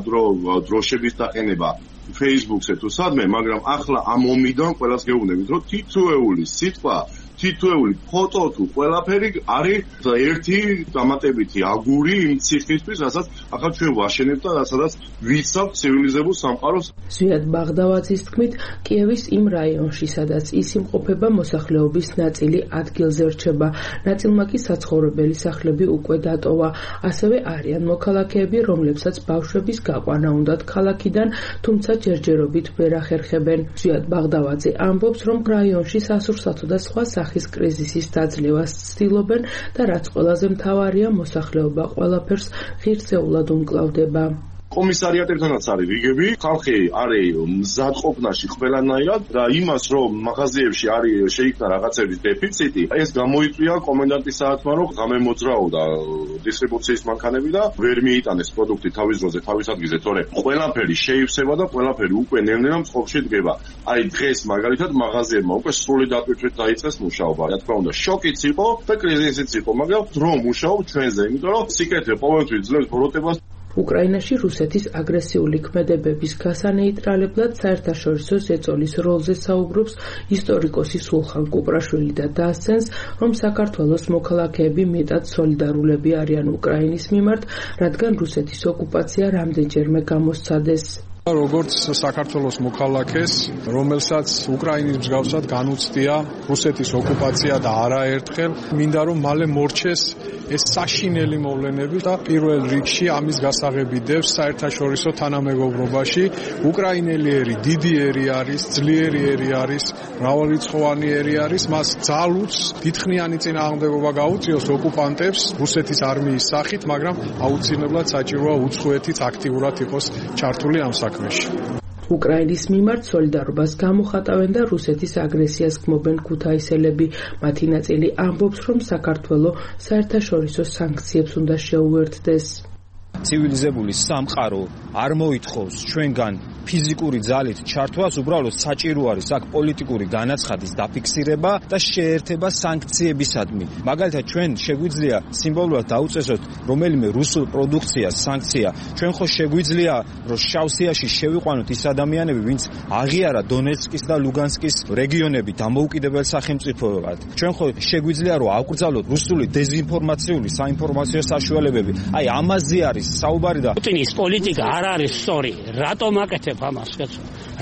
დროშების დაყენება Facebook-ზე თუ სადმე, მაგრამ ახლა ამ ომიდან ყველას გეუბნებით, რომ თითოეული სიტყვა, თითოეული ფოტო თუ ყველაფერი არის ერთი დამატებითი აგური იმ ციხისთვის, რასაც ახლა ჩვენ ვაშენებთ და სადაც ვიცავთ ცივილიზებულ სამყაროს. ზვიად ბაღდავაძის თქმით, კიევის იმ რაიონში, სადაც ის იმყოფება, მოსახლეობის ნაწილი ადგილზე რჩება, ნაწილმა კი საცხოვრებელი სახლები უკვე დატოვა. ასევე არიან მოქალაქეები, რომლებსაც ბავშვების გაყვანა უნდათ ქალაქიდან, თუმცა ჯერჯერობით ვერ ახერხებენ. ზვიად ბაღდავაძე ამბობს, რომ რაიონში სასურსათო და სხვა სახის კრიზისის დაძლევას ცდილობენ და რაც ყველაზე მთავარია, მოსახლეობა ყველაფერს ღირსეულად უმკლავდება. კომისარიატებთანაც არის რიგები, ხალხი არის მზადყოფნაში ყველანაირად და იმას, რომ მაღაზიებში არის შეიქმნა რაღაცების დეფიციტი, ეს გამოიწვია კომენდანტის საათმა, რომ გამემოძრაოდა დისტრიბუციის მანქანები და ვერ მიიტანეს პროდუქტი თავის დროზე, თავის ადგილზე, თორე ყველაფერი შეივსება და ყველაფერი უკვე ნელ-ნელა მწყობრში დგება. აი დღეს მაგალითად მაღაზიებმა უკვე სრული დატვირთვით დაიწყეს მუშაობა. რა თქმა უნდა, შოკიც იყო და კრიზისიც იყო, მაგრამ დრო მუშაობ ჩვენზე, იმიტომ რომ სიკეთე ყოველთვის ძლებს ბოროტებას. უკრაინაში რუსეთის აგრესიული ქმედებების გასანეიტრალებლად საერთაშორისო ზეწოლის როლზე საუბრობს ისტორიკოსი სულხან კუპრაშვილი და დასცენს, რომ საქართველოს მოქალაქეები მეტად სოლიდარულები არიან უკრაინის მიმართ, რადგან რუსეთის ოკუპაცია რამდენჯერმე გამოსცადეს. როგორც საქართველოს მოქალაქეს, რომელსაც უკრაინის მსგავსად განუცდია რუსეთის ოკუპაცია და არაერთხელ, მინდა რომ მალე მორჩეს ეს საშინელი მოვლენები და პირველ რიგში ამის გასაღები დევს საერთაშორისო თანამეგობრობაში. უკრაინელი ერი დიდი ერი არის, ძლიერი ერი არის, მრავალრიცხოვანი ერი არის, მას ძალუც დიდხნიანი წინააღმდეგობა გაუწიოს ოკუპანტებს რუსეთის არმიის სახით, მაგრამ აუცილებლად საჭიროა უცხოეთიც აქტიურად იყოს ჩართული ამ საქმეში. უკრაინის მიმართ სოლიდარობას გამოხატავენ და რუსეთის აგრესიას გმობენ ქუთაისელები. მათი ნაწილი ამბობს, რომ საქართველო საერთაშორისო სანქციებს უნდა შეუერთდეს. ცივილიზებული სამყარო არ მოითხოვს ჩვენგან ფიზიკური ძალით ჩართვას, უბრალოდ საჭირო არის აქ პოლიტიკური განაცხადის დაფიქსირება და შეერთება სანქციებისადმი. მაგალითად, ჩვენ შეგვიძლია სიმბოლურად დაუწესოთ რომელიმე რუსულ პროდუქციას სანქცია. ჩვენ ხო შეგვიძლია, რომ შავსიაში შევიყვანოთ ის ადამიანები, ვინც აღიარა დონეცკის და ლუგანსკის რეგიონები დამოუკიდებელ სახელმწიფოებად. ჩვენ ხო შეგვიძლია, რომ ავკრძალოთ რუსული დეზინფორმაციული საინფორმაციო საშუალებები. აი, ამაზე არის საუბარი და პუტინის პოლიტიკა არ არის სწორი. რატომ აკეთებ ამას?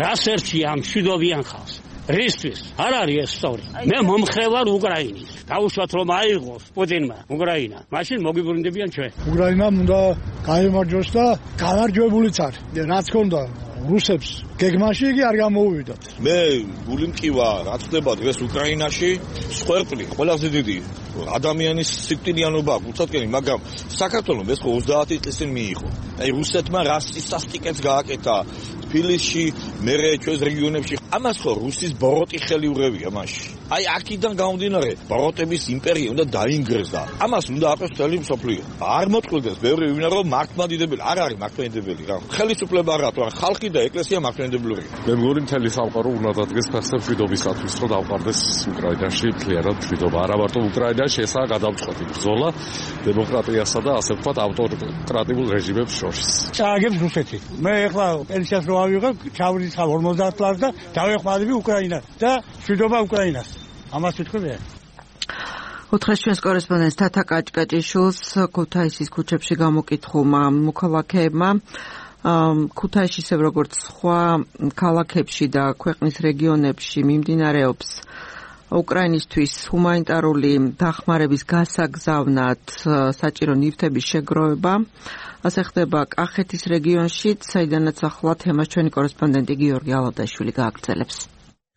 რას ერჩია ამ მშვიდობიან ხალხს? რისთვის? არ არის ეს სწორი. მე მომხრე ვარ უკრაინის. დაუშვათ რომ აიღოს პუტინმა უკრაინა. მაშინ მოგიბრუნდებიან ჩვენ. უკრაინამ უნდა გაიმარჯვოს და გამარჯვებულიც არის. რაც ქონდა რუსებს გეგმაში იგი არ გამოუვიდათ. მე გული მკივა, რაც ხდება დღეს უკრაინაში, სხერტლი, ყველაზე დიდი ადამიანის სიკვდილიანობა გულწრფელი, მაგრამ საქართველოს ეს 30 წლის წინ მიიღო. აი რუსეთმა რასისტიკებს გააკეთა თბილისში, მერე ჩვენს რეგიონებში. ამას ხო რუსის ბოროტი ხელი ურევია მაშინ. აი აქედან გამომდინარე, ბოროტების იმპერია უნდა დაინგრესდა. ამას უნდა აკეთოს მთელი მსოფლიო. არ მოწყვილდეს ბევრი ვინა რომ მართლმადიდებელი არ არის მართლმადიდებელი რა. ხელისუფლება არა, თორემ ხალხი და ეკლესია მართლმადიდებლურია. მე მგონი მთელი სამყარო უნდა დადგეს ფეხზე მშვიდობისათვის, რომ დავყარდეს უკრაინაში მთლიანად მშვიდობა. არა მარტო უკრაინაში, ესაა გადამწყვეტი ბრძოლა დემოკრატიასა და ასე ვთქვათ ავტორკრატიულ რეჟიმებს შორის. წააგებს რუსეთი. მე ეხლა პენსიას რო ავიღებ, ჩავრიცხავ 50 წლს და დავეხმარები უკრაინას და მშვიდობა უკრაინას. ამას ვიტყვი. ოთხას ჩვენს კორესპონდენტს თათა კაჭკაჭიშვილს ქუთაისის ქუჩებში გამოკითხულმა მოქალაქეებმა ქუთაისში ისე როგორც სხვა ქალაქებში და ქვეყნის რეგიონებში მიმდინარეობს უკრაინისთვის ჰუმანიტარული დახმარების გასაგზავნად საჭირო ნივთების შეგროვება. ასე ხდება კახეთის რეგიონში, საიდანაც ახლა თემას ჩვენი კორესპონდენტი გიორგი ალადაშვილი გააგრძელებს.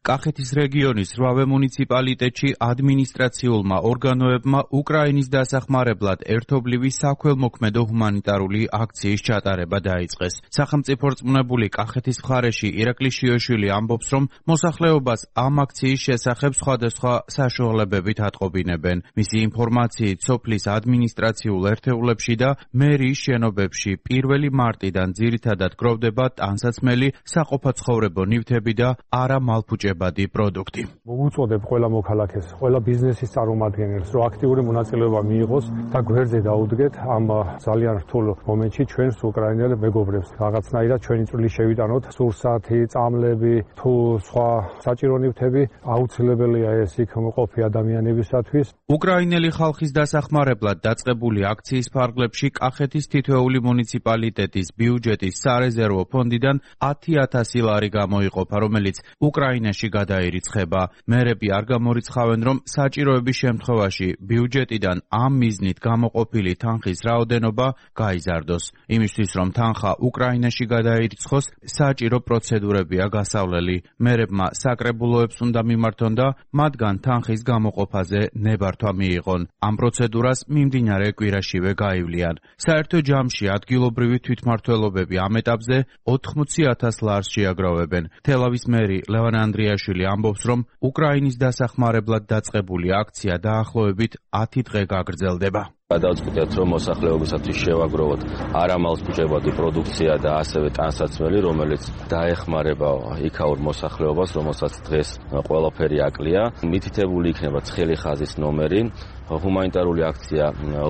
კახეთის რეგიონის 8 მუნიციპალიტეტში ადმინისტრაციულმა ორგანოებმა უკრაინის დასახმარებლად ერთობლივი საქველმოქმედო ჰუმანიტარული აქციის ჩატარება დაიწყეს. სახელმწიფო რწმუნებული კახეთის მხარეში ირაკლი შიოშვილი ამბობს, რომ მოსახლეობას ამ აქციის შესახებ სხვადასხვა საშუალებებით ატყობინებენ. მისი ინფორმაციით, სოფლის ადმინისტრაციულ ერთეულებში და მერიის შენობებში 1 მარტიდან ძირითადად გროვდება ტანსაცმელი, საყოფაცხოვრებო ნივთები და არა მალფუჭებადი პროდუქტი. მოგუწოდებ ყველა მოქალაქეს, ყველა ბიზნესის წარმომადგენელს, რომ აქტიური მონაწილეობა მიიღოს და გვერდზე დაუდგეთ ამ ძალიან რთულ მომენტში ჩვენს უკრაინელ მეგობრებს. რაღაცნაირად ჩვენი წვლილი შევიტანოთ, სურსათი, წამლები, თუ სხვა საჭირო ნივთები აუცილებელია ეს იქ მყოფი ადამიანებისათვის. უკრაინელი ხალხის დასახმარებლად დაწყებული აქციის ფარგლებში კახეთის თითოეული მუნიციპალიტეტის ბიუჯეტის სარეზერვო ფონდიდან 10,000 ლარი გამოიყოფა, რომელიც უკრაინაში გადაირიცხება. მერები არ გამორიცხავენ, რომ საჭიროების შემთხვევაში ბიუჯეტიდან ამ მიზნით გამოყოფილი თანხის რაოდენობა გაიზარდოს. იმისთვის, რომ თანხა უკრაინაში გადაირიცხოს, საჭირო პროცედურებია გასავლელი. მერებმა საკრებულოებს უნდა მიმართონ და მათგან თანხის გამოყოფაზე ნებართვა მიიღონ. ამ პროცედურას მიმდინარე კვირაშივე გაივლიან. საერთო ჯამში ადგილობრივი თვითმმართველობები ამ ეტაპზე 80,000 ლარს შეაგროვებენ. თელავის მერი ლევან ანდრიაშვილი ამბობს, რომ უკრაინის დასახმარებლად დაწყებული აქცია დაახლოებით 10 დღე გაგრძელდება. გადავწყვიტეთ, რომ მოსახლეობისათვის შევაგროვოთ არამალფუჭებადი პროდუქცია და ასევე ტანსაცმელი, რომელიც დაეხმარება იქაურ მოსახლეობას, რომელსაც დღეს ყველაფერი აკლია. მითითებული იქნება ცხელი ხაზის ნომერი. ჰუმანიტარული აქცია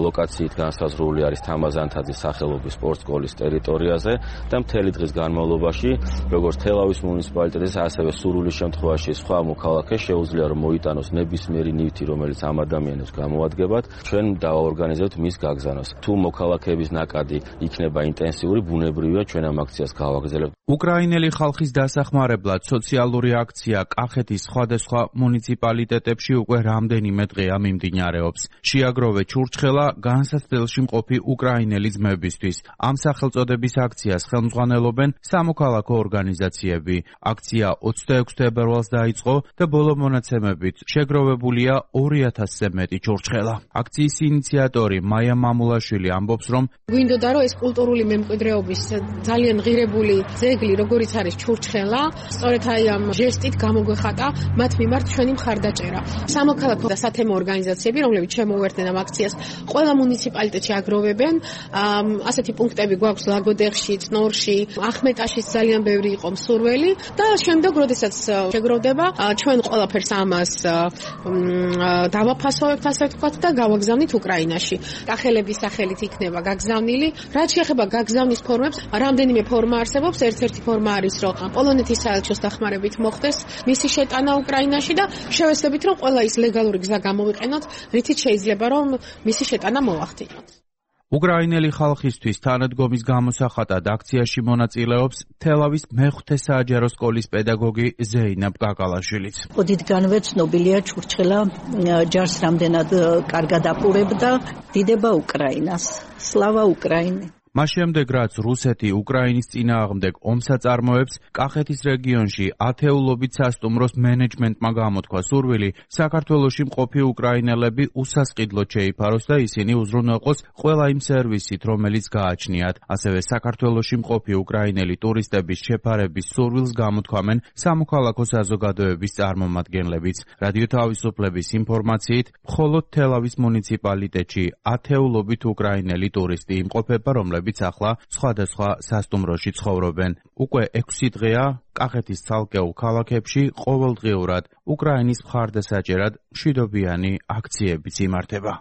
ლოკაციით განსაზღვრული არის თამაზანთაძის სახელობის სპორტსკოლის ტერიტორიაზე და მთელი დღის განმავლობაში, როგორც თელავის მუნიციპალიტეტის, ასევე სურვილის შემთხვევაში სხვა მოქალაქეს შეუძლია რომ მოიტანოს ნებისმიერი ნივთი, რომელიც ამ ადამიანებს გამოადგებათ, ჩვენ დავაორგანიზებთ მის გაგზავნას. თუ მოქალაქეების ნაკადი იქნება ინტენსიური, ბუნებრივია ჩვენ ამ აქციას გავაგრძელებთ. უკრაინელი ხალხის დასახმარებლად სოციალური აქცია კახეთის სხვადასხვა მუნიციპალიტეტებში უკვე რამდენიმე დღეა მიმდინარეობს. შეაგროვე ჩურჩხელა განსაცდელში მყოფი უკრაინელი ძმებისთვის. ამ სახელწოდების აქციას ხელმძღვანელობენ სამოქალაქო ორგანიზაციები. აქცია 26 თებერვალს დაიწყო და ბოლო მონაცემებით შეგროვებულია 2,000-ზე მეტი ჩურჩხელა. აქციის ინიციატორი მაია მამულაშვილი ამბობს, რომ გვინდოდა რომ ეს კულტურული მემკვიდრეობის ძალიან ღირებული ძეგლი, როგორიც არის ჩურჩხელა, სწორედ აი ამ ჟესტით გამოგვეხატა მათ მიმართ ჩვენი მხარდაჭერა. სამოქალაქო და სათემო ორგანიზაციები, რომლებიც შემოუერთდნენ ამ აქციას, ყველა მუნიციპალიტეტში აგროვებენ. ასეთი პუნქტები გვაქვს ლაგოდეხში, წნორში, ახმეტაშიც ძალიან ბევრი იყო მსურველი და შემდეგ, როდესაც შეგროვდება, ჩვენ ყველაფერს ამას დავაფასოვებთ, ასე ვთქვათ, და გავაგზავნით უკრაინაში. კახელების სახელით იქნება გაგზავნილი. რაც შეეხება გაგზავნის ფორმებს, რამდენიმე ფორმა არსებობს. ერთ-ერთი ფორმა არის, რომ პოლონეთის საელჩოს დახმარებით მოხდეს მისი შეტანა უკრაინაში და შევეცდებით, რომ ყველა ის ლეგალური გზა გამოვიყენოთ, რითიც შეიძლება რომ მისი შეტანა მოახდინოთ. უკრაინელი ხალხისთვის თანადგომის გამოსახატად აქციაში მონაწილეობს თელავის მეხუთე საჯარო სკოლის პედაგოგი ზეინაბ კაკალაშვილიც. ოდითგანვე ცნობილია ჩურჩხელა ჯარს რამდენად კარგად აპურებდა. დიდება უკრაინას. სლავა უკრაინე. მას შემდეგ, რაც რუსეთი უკრაინის წინააღმდეგ ომს აწარმოებს, კახეთის რეგიონში ათეულობით სასტუმროს მენეჯმენტმა გამოთქვა სურვილი საქართველოში მყოფი უკრაინელები უსასყიდლოდ შეიფაროს და ისინი უზრუნველყოს ყველა იმ სერვისით, რომელიც გააჩნიათ. ასევე საქართველოში მყოფი უკრაინელი ტურისტების შეფარების სურვილს გამოთქვამენ სამოქალაქო საზოგადოების წარმომადგენლებიც. რადიო თავისუფლების ინფორმაციით, მხოლოდ თელავის მუნიციპალიტეტში ათეულობით უკრაინელი ტურისტი იმყოფება, რომლებიც ახლა სხვადასხვა სასტუმროში ცხოვრობენ. უკვე 6 დღეა კახეთის ცალკეულ ქალაქებში ყოველდღიურად უკრაინის მხარდასაჭერად მშვიდობიანი აქციებიც იმართება.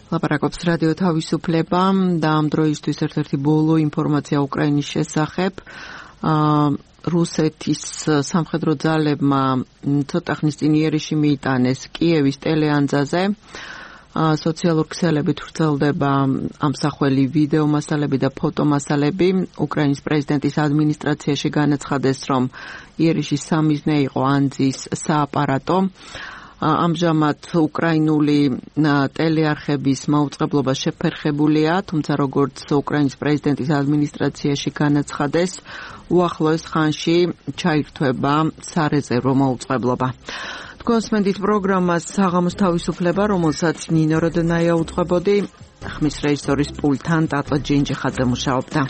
ლაპარაკობს რადიო თავისუფლება და ამ დროისთვის ერთ-ერთი ბოლო ინფორმაცია უკრაინის შესახებ. რუსეთის სამხედრო ძალებმა ცოტა ხნის წინ იერიში მიიტანეს კიევის ტელეანძაზე. სოციალურ ქსელებით ვრცელდება ამსახველი ვიდეო მასალები და ფოტო მასალები. უკრაინის პრეზიდენტის ადმინისტრაციაში განაცხადეს, რომ იერიში სამიზნე იყო ანძის სააპარატო. ამჟამად უკრაინული ტელეარხების მაუწყებლობა შეფერხებულია, თუმცა როგორც უკრაინის პრეზიდენტის ადმინისტრაციაში განაცხადეს, უახლოეს ხანში ჩაირთვება სარეზერვო მოუწყებლობა. კონსმენდით პროგრამას საღამოს თავისუფლება, რომელსაც ნინო როდნაია უძღვებოდი, ხმის რეჟისორის პულტთან ტატო ჯინჯიხაძე მუშაობდა.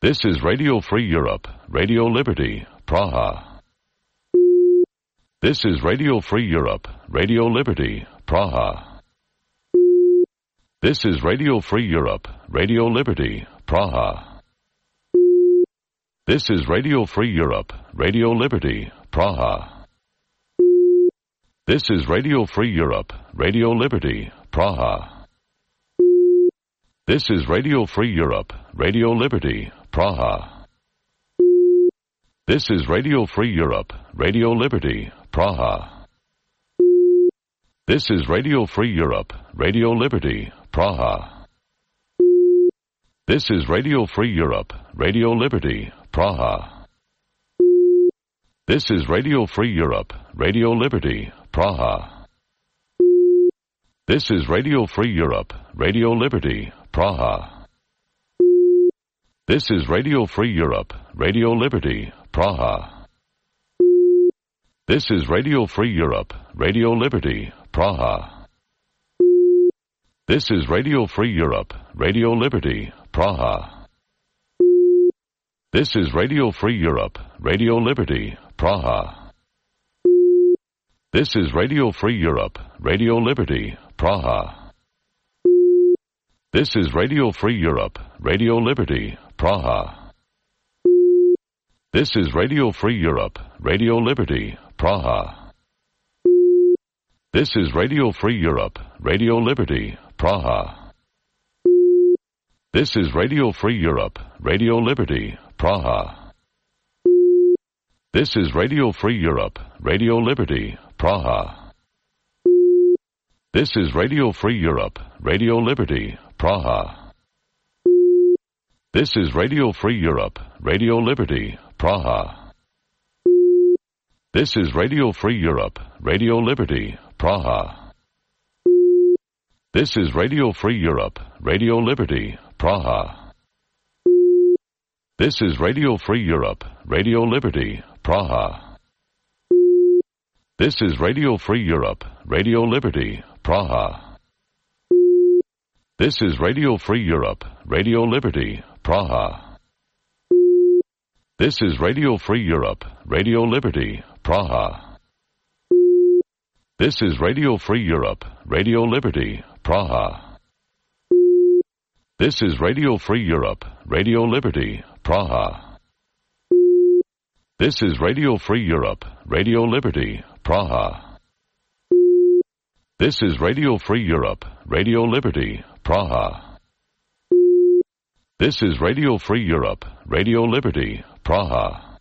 This is Radio Free Europe, Radio Liberty, Praha. This is Radio Free Europe, Radio Liberty, Praha. This is Radio Free Europe, Radio Liberty, Praha. This is Radio Free Europe, Radio Liberty, Praha. This is Radio Free Europe, Radio Liberty, Praha. This is Radio Free Europe, Radio Liberty, Praha. This is Radio Free Europe, Radio Liberty, Praha. This is Radio Free Europe, Radio Liberty, Praha. This is Radio Free Europe, Radio Liberty, Praha. This is Radio Free Europe, Radio Liberty, Praha. This is Radio Free Europe, Radio Liberty, Praha. This is Radio Free Europe, Radio Liberty, Praha. This is Radio Free Europe, Radio Liberty, Praha. This is Radio Free Europe, Radio Liberty, Praha. This is Radio Free Europe, Radio Liberty, Praha. This is Radio Free Europe, Radio Liberty, Praha. This is Radio Free Europe, Radio Liberty, Praha. This is Radio Free Europe, Radio Liberty, Praha. This is Radio Free Europe, Radio Liberty, Praha. This is Radio Free Europe, Radio Liberty, Praha. This is Radio Free Europe, Radio Liberty, Praha. This is Radio Free Europe, Radio Liberty, Praha. This is Radio Free Europe, Radio Liberty, Praha. This is Radio Free Europe, Radio Liberty, Praha. This is Radio Free Europe, Radio Liberty, Praha. This is Radio Free Europe, Radio Liberty, Praha. This is Radio Free Europe, Radio Liberty, Praha. This is Radio Free Europe, Radio Liberty, Praha. This is Radio Free Europe, Radio Liberty, Praha. This is Radio Free Europe, Radio Liberty, Praha. This is Radio Free Europe, Radio Liberty, Praha. This is Radio Free Europe, Radio Liberty, Praha. This is Radio Free Europe, Radio Liberty, Praha. This is Radio Free Europe, Radio Liberty, Praha.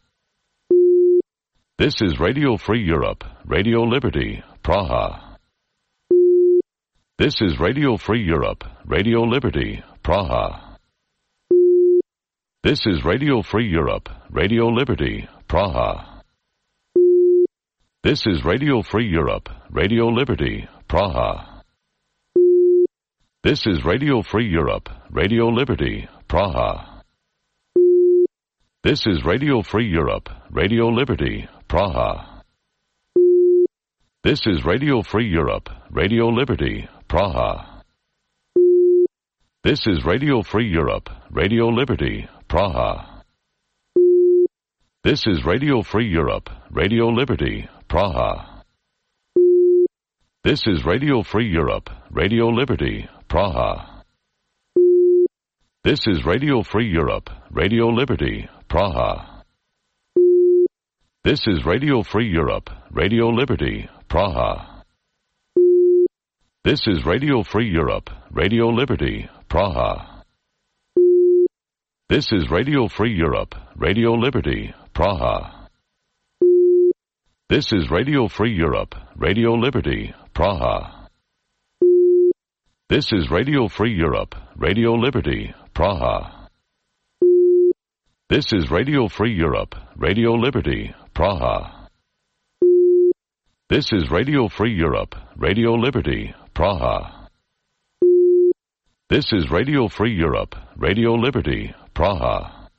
This is Radio Free Europe, Radio Liberty, Praha. This is Radio Free Europe, Radio Liberty, Praha. This is Radio Free Europe, Radio Liberty, Praha. This is Radio Free Europe, Radio Liberty, Praha. This is Radio Free Europe, Radio Liberty, Praha. This is Radio Free Europe, Radio Liberty, Praha. This is Radio Free Europe, Radio Liberty, Praha. This is Radio Free Europe, Radio Liberty, Praha. This is Radio Free Europe, Radio Liberty, Praha. This is Radio Free Europe, Radio Liberty, Praha. This is Radio Free Europe, Radio Liberty, Praha. This is Radio Free Europe, Radio Liberty, Praha. This is Radio Free Europe, Radio Liberty, Praha. This is Radio Free Europe, Radio Liberty, Praha. This is Radio Free Europe, Radio Liberty, Praha. This is Radio Free Europe, Radio Liberty, Praha. This is Radio Free Europe, Radio Liberty, Praha. This is Radio Free Europe, Radio Liberty, Praha. This is Radio Free Europe, Radio Liberty, Praha.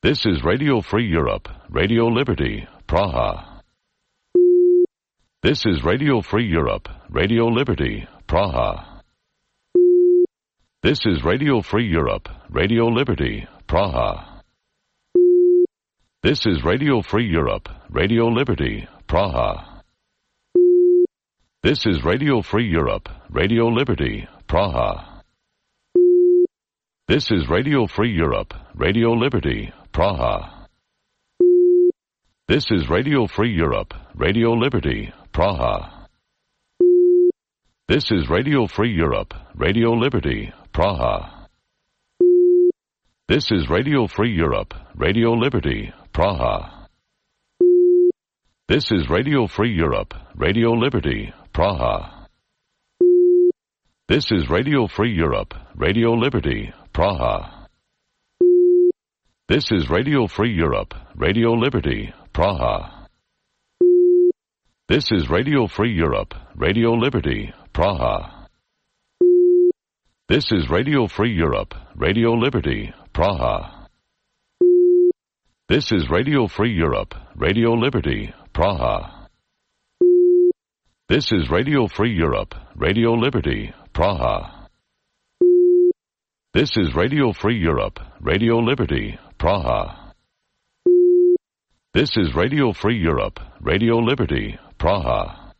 This is Radio Free Europe, Radio Liberty, Praha. This is Radio Free Europe, Radio Liberty, Praha. This is Radio Free Europe, Radio Liberty, Praha. This is Radio Free Europe, Radio Liberty, Praha. This is Radio Free Europe, Radio Liberty, Praha. This is Radio Free Europe, Radio Liberty, Praha. This is Radio Free Europe, Radio Liberty, Praha. This is Radio Free Europe, Radio Liberty, Praha. This is Radio Free Europe, Radio Liberty, Praha. This is Radio Free Europe, Radio Liberty, Praha. This is Radio Free Europe, Radio Liberty, Praha. This is Radio Free Europe, Radio Liberty, Praha. This is Radio Free Europe, Radio Liberty, Praha. This is Radio Free Europe, Radio Liberty, Praha. This is Radio Free Europe, Radio Liberty, Praha. This is Radio Free Europe, Radio Liberty, Praha. This is Radio Free Europe, Radio Liberty, Praha. This is Radio Free Europe, Radio Liberty, Praha.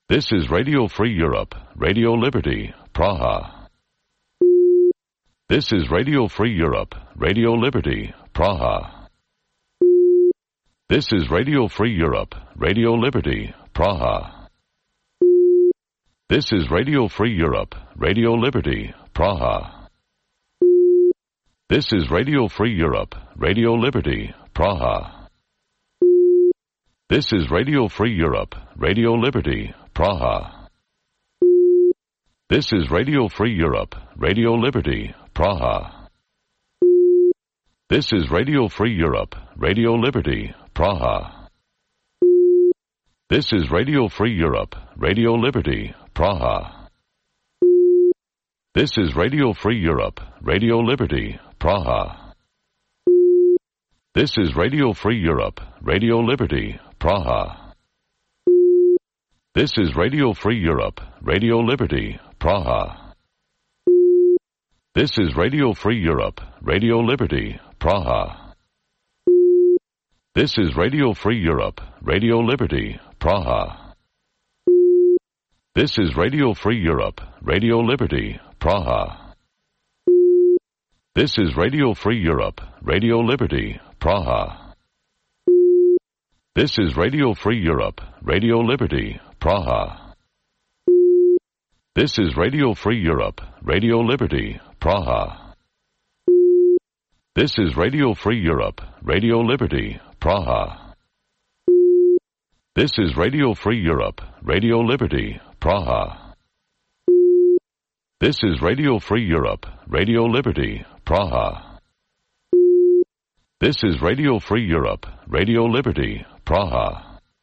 This is Radio Free Europe, Radio Liberty, Praha. This is Radio Free Europe, Radio Liberty, Praha. This is Radio Free Europe, Radio Liberty, Praha. This is Radio Free Europe, Radio Liberty, Praha. This is Radio Free Europe, Radio Liberty, Praha. This is Radio Free Europe, Radio Liberty, Praha. This is Radio Free Europe, Radio Liberty, Praha. This is Radio Free Europe, Radio Liberty, Praha. This is Radio Free Europe, Radio Liberty, Praha. This is Radio Free Europe, Radio Liberty, Praha. This is Radio Free Europe, Radio Liberty, Praha. This is Radio Free Europe, Radio Liberty, Praha. This is Radio Free Europe, Radio Liberty, Praha. This is Radio Free Europe, Radio Liberty, Praha. This is Radio Free Europe, Radio Liberty, Praha. This is Radio Free Europe, Radio Liberty, Praha. This is Radio Free Europe, Radio Liberty, Praha. This is Radio Free Europe, Radio Liberty, Praha. This is Radio Free Europe, Radio Liberty, Praha. This is Radio Free Europe, Radio Liberty, Praha. This is Radio Free Europe, Radio Liberty, Praha. This is Radio Free Europe, Radio Liberty, Praha.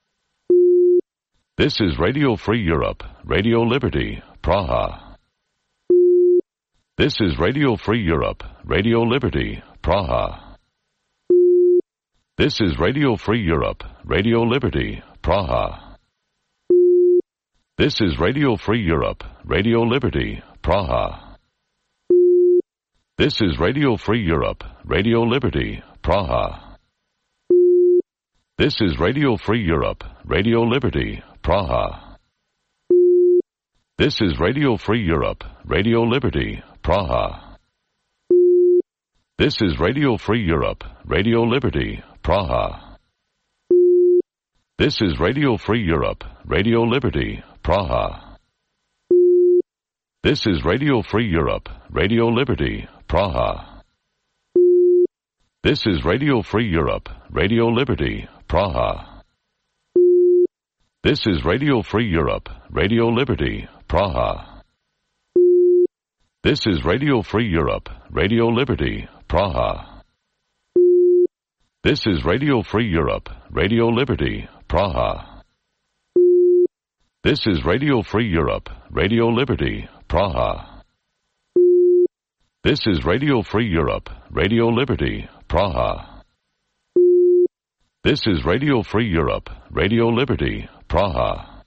This is Radio Free Europe, Radio Liberty, Praha. This is Radio Free Europe, Radio Liberty, Praha. This is Radio Free Europe, Radio Liberty, Praha. This is Radio Free Europe, Radio Liberty, Praha. This is Radio Free Europe, Radio Liberty, Praha. This is Radio Free Europe, Radio Liberty, Praha. This is Radio Free Europe, Radio Liberty, Praha. This is Radio Free Europe, Radio Liberty, Praha. This is Radio Free Europe, Radio Liberty, Praha. This is Radio Free Europe, Radio Liberty, Praha. This is Radio Free Europe, Radio Liberty, Praha. This is Radio Free Europe, Radio Liberty, Praha. This is Radio Free Europe, Radio Liberty, Praha. This is Radio Free Europe, Radio Liberty, Praha. This is Radio Free Europe, Radio Liberty, Praha. This is Radio Free Europe, Radio Liberty, Praha. This is Radio Free Europe, Radio Liberty, Praha.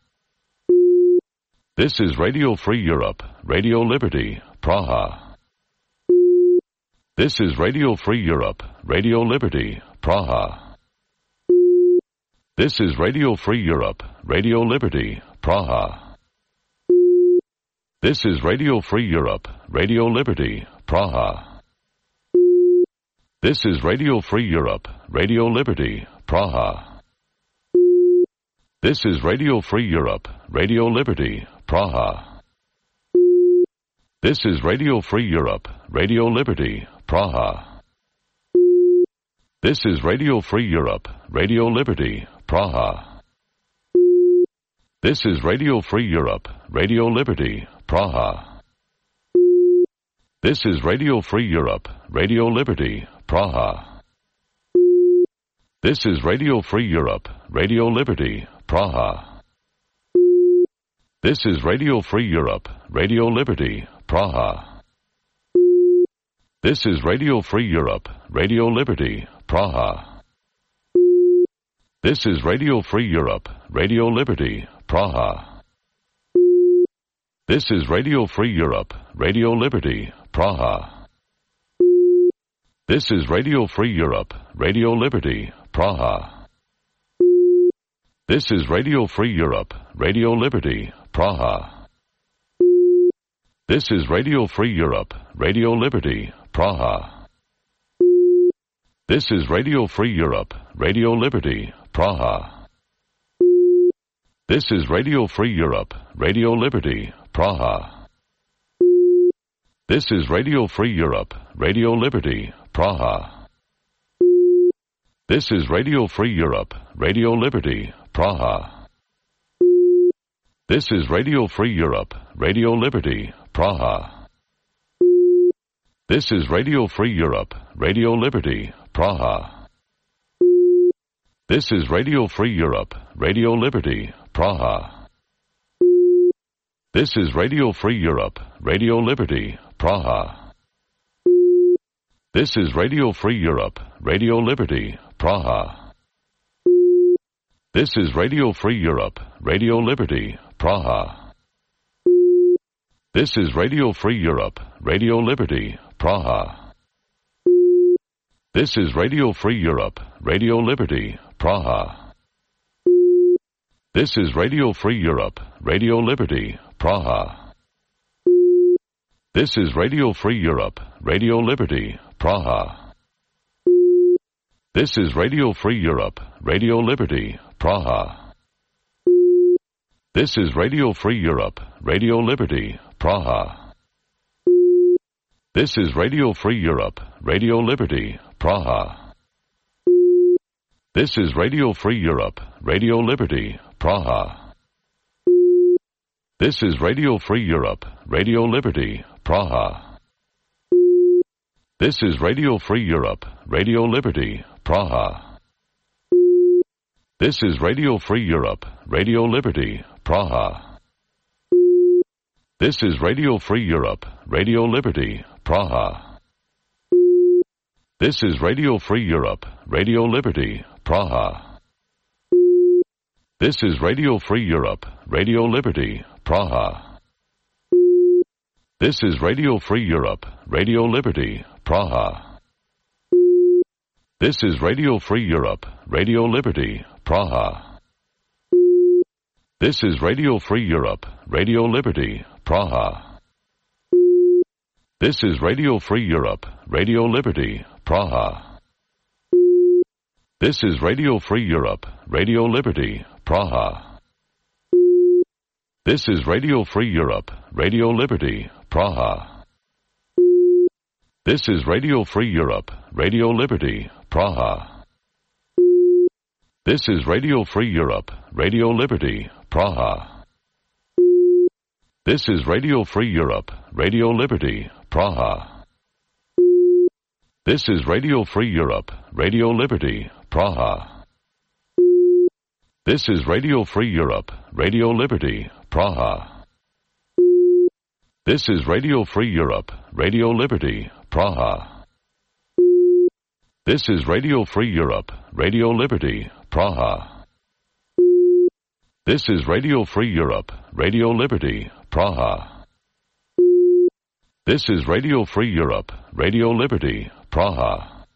This is Radio Free Europe, Radio Liberty, Praha. This is Radio Free Europe, Radio Liberty, Praha. This is Radio Free Europe, Radio Liberty, Praha. This is Radio Free Europe, Radio Liberty, Praha. This is Radio Free Europe, Radio Liberty, Praha. This is Radio Free Europe, Radio Liberty, Praha. This is Radio Free Europe, Radio Liberty, Praha. This is Radio Free Europe, Radio Liberty, Praha. This is Radio Free Europe, Radio Liberty, Praha. This is Radio Free Europe, Radio Liberty, Praha. This is Radio Free Europe, Radio Liberty, Praha. This is Radio Free Europe, Radio Liberty, Praha. This is Radio Free Europe, Radio Liberty, Praha. This is Radio Free Europe, Radio Liberty, Praha. This is Radio Free Europe, Radio Liberty, Praha. This is Radio Free Europe, Radio Liberty, Praha. This is Radio Free Europe, Radio Liberty, Praha. This is Radio Free Europe, Radio Liberty, Praha. This is Radio Free Europe, Radio Liberty, Praha. This is Radio Free Europe, Radio Liberty, Praha. This is Radio Free Europe, Radio Liberty, Praha. This is Radio Free Europe, Radio Liberty, Praha. This is Radio Free Europe, Radio Liberty, Praha. This is Radio Free Europe, Radio Liberty, Praha. This is Radio Free Europe, Radio Liberty, Praha. This is Radio Free Europe, Radio Liberty, Praha. This is Radio Free Europe, Radio Liberty, Praha. This is Radio Free Europe, Radio Liberty, Praha. This is Radio Free Europe, Radio Liberty, Praha. This is Radio Free Europe, Radio Liberty, Praha. This is Radio Free Europe, Radio Liberty, Praha. This is Radio Free Europe, Radio Liberty, Praha. This is Radio Free Europe, Radio Liberty, Praha. This is Radio Free Europe, Radio Liberty, Praha. This is Radio Free Europe, Radio Liberty, Praha. This is Radio Free Europe, Radio Liberty, Praha. This is Radio Free Europe, Radio Liberty, Praha. This is Radio Free Europe, Radio Liberty, Praha. This is Radio Free Europe, Radio Liberty, Praha. This is Radio Free Europe, Radio Liberty, Praha. This is Radio Free Europe, Radio Liberty, Praha. This is Radio Free Europe, Radio Liberty, Praha. This is Radio Free Europe, Radio Liberty, Praha. This is Radio Free Europe, Radio Liberty, Praha. This is Radio Free Europe, Radio Liberty, Praha. This is Radio Free Europe, Radio Liberty, Praha. This is Radio Free Europe, Radio Liberty, Praha. This is Radio Free Europe, Radio Liberty, Praha. This is Radio Free Europe, Radio Liberty, Praha. This is Radio Free Europe, Radio Liberty, Praha. This is Radio Free Europe, Radio Liberty, Praha. This is Radio Free Europe, Radio Liberty, Praha. This is Radio Free Europe, Radio Liberty, Praha. This is Radio Free Europe, Radio Liberty, Praha. This is Radio Free Europe, Radio Liberty, Praha. This is Radio Free Europe, Radio Liberty, Praha. This is Radio Free Europe, Radio Liberty, Praha.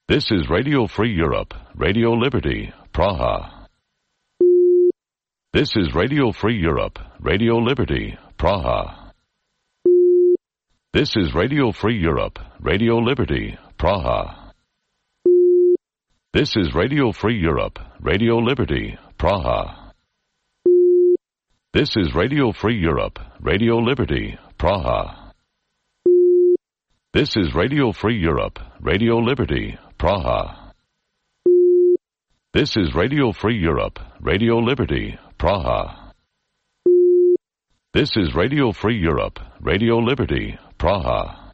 This is Radio Free Europe, Radio Liberty, Praha. This is Radio Free Europe, Radio Liberty, Praha. This is Radio Free Europe, Radio Liberty, Praha. This is Radio Free Europe, Radio Liberty, Praha. This is Radio Free Europe, Radio Liberty, Praha. This is Radio Free Europe, Radio Liberty, Praha. This is Radio Free Europe, Radio Liberty, Praha. This is Radio Free Europe, Radio Liberty, Praha.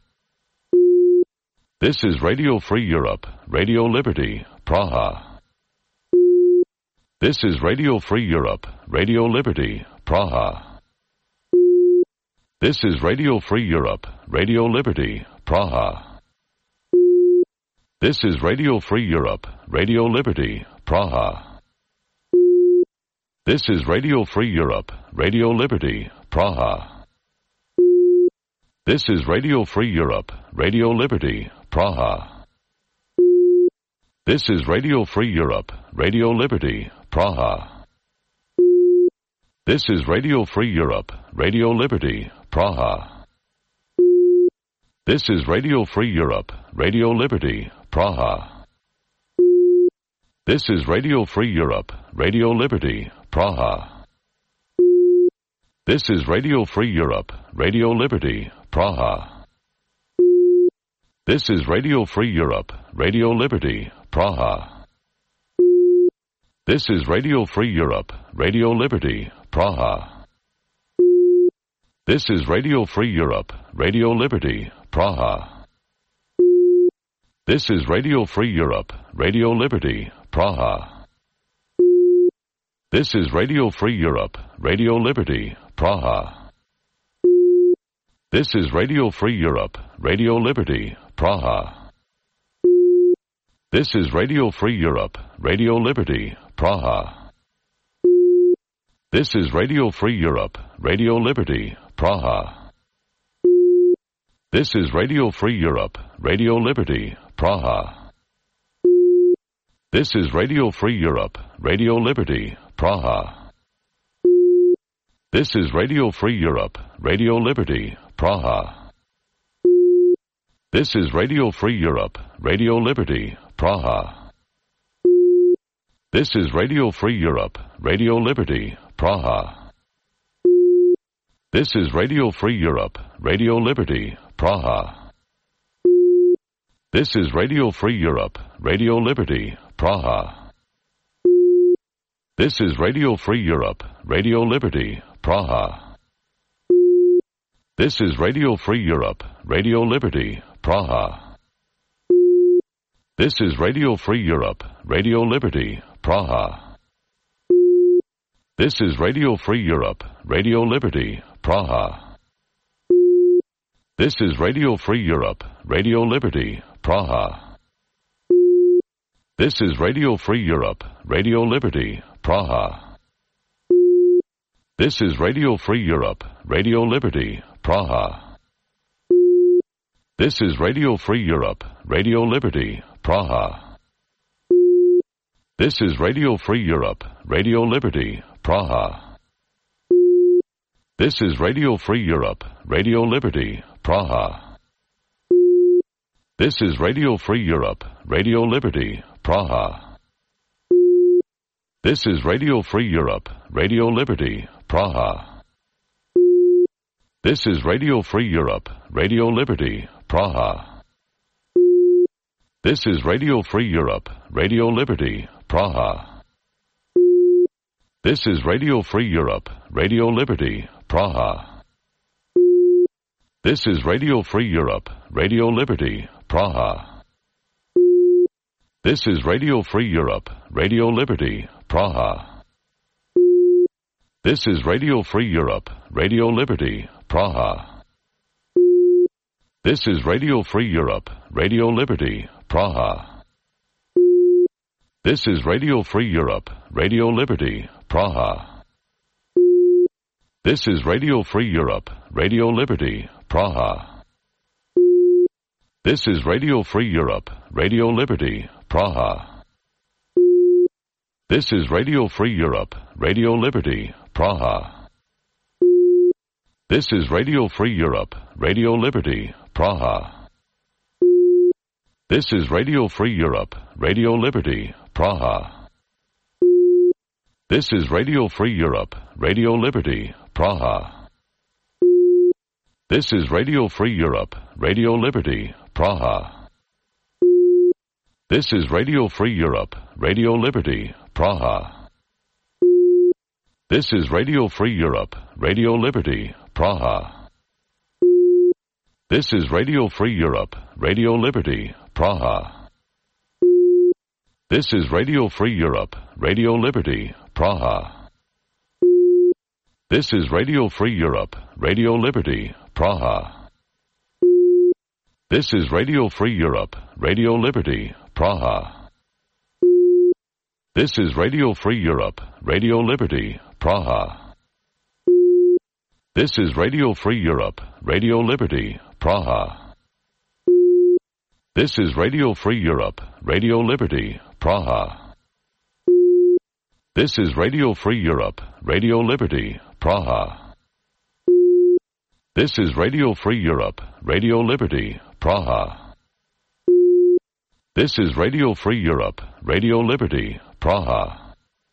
This is Radio Free Europe, Radio Liberty, Praha. This is Radio Free Europe, Radio Liberty, Praha. This is Radio Free Europe, Radio Liberty, Praha. This is Radio Free Europe, Radio Liberty, Praha. This is Radio Free Europe, Radio Liberty, Praha. This is Radio Free Europe, Radio Liberty, Praha. This is Radio Free Europe, Radio Liberty, Praha. This is Radio Free Europe, Radio Liberty, Praha. This is Radio Free Europe, Radio Liberty, Praha. This is Radio Free Europe, Radio Liberty, Praha. This is Radio Free Europe, Radio Liberty, Praha. This is Radio Free Europe, Radio Liberty, Praha. This is Radio Free Europe, Radio Liberty, Praha. This is Radio Free Europe, Radio Liberty, Praha. This is Radio Free Europe, Radio Liberty, Praha. This is Radio Free Europe, Radio Liberty, Praha. This is Radio Free Europe, Radio Liberty, Praha. This is Radio Free Europe, Radio Liberty, Praha. This is Radio Free Europe, Radio Liberty, Praha. This is Radio Free Europe, Radio Liberty, Praha. This is Radio Free Europe, Radio Liberty, Praha. This is Radio Free Europe, Radio Liberty, Praha. This is Radio Free Europe, Radio Liberty, Praha. This is Radio Free Europe, Radio Liberty, Praha. This is Radio Free Europe, Radio Liberty, Praha. This is Radio Free Europe, Radio Liberty, Praha. This is Radio Free Europe, Radio Liberty, Praha. This is Radio Free Europe, Radio Liberty, Praha. This is Radio Free Europe, Radio Liberty, Praha. This is Radio Free Europe, Radio Liberty, Praha. This is Radio Free Europe, Radio Liberty, Praha. This is Radio Free Europe, Radio Liberty, Praha. This is Radio Free Europe, Radio Liberty, Praha. This is Radio Free Europe, Radio Liberty, Praha. This is Radio Free Europe, Radio Liberty, Praha. This is Radio Free Europe, Radio Liberty, Praha. This is Radio Free Europe, Radio Liberty, Praha. This is Radio Free Europe, Radio Liberty, Praha. This is Radio Free Europe, Radio Liberty, Praha. This is Radio Free Europe, Radio Liberty, Praha. This is Radio Free Europe, Radio Liberty, Praha. This is Radio Free Europe, Radio Liberty, Praha. This is Radio Free Europe, Radio Liberty, Praha. This is Radio Free Europe, Radio Liberty, Praha. This is Radio Free Europe, Radio Liberty, Praha. This is Radio Free Europe, Radio Liberty, Praha. This is Radio Free Europe, Radio Liberty, Praha. This is Radio Free Europe, Radio Liberty, Praha. This is Radio Free Europe, Radio Liberty, Praha. This is Radio Free Europe, Radio Liberty, Praha. This is Radio Free Europe, Radio Liberty, Praha. This is Radio Free Europe, Radio Liberty, Praha. This is Radio Free Europe, Radio Liberty, Praha. This is Radio Free Europe, Radio Liberty, Praha. This is Radio Free Europe, Radio Liberty, Praha. This is Radio Free Europe, Radio Liberty, Praha. This is Radio Free Europe, Radio Liberty, Praha. This is Radio Free Europe, Radio Liberty, Praha. This is Radio Free Europe, Radio Liberty, Praha. This is Radio Free Europe, Radio Liberty, Praha. This is Radio Free Europe, Radio Liberty, Praha. This is Radio Free Europe, Radio Liberty, Praha. This is Radio Free Europe, Radio Liberty, Praha. This is Radio Free Europe, Radio Liberty, Praha. This is Radio Free Europe, Radio Liberty, Praha.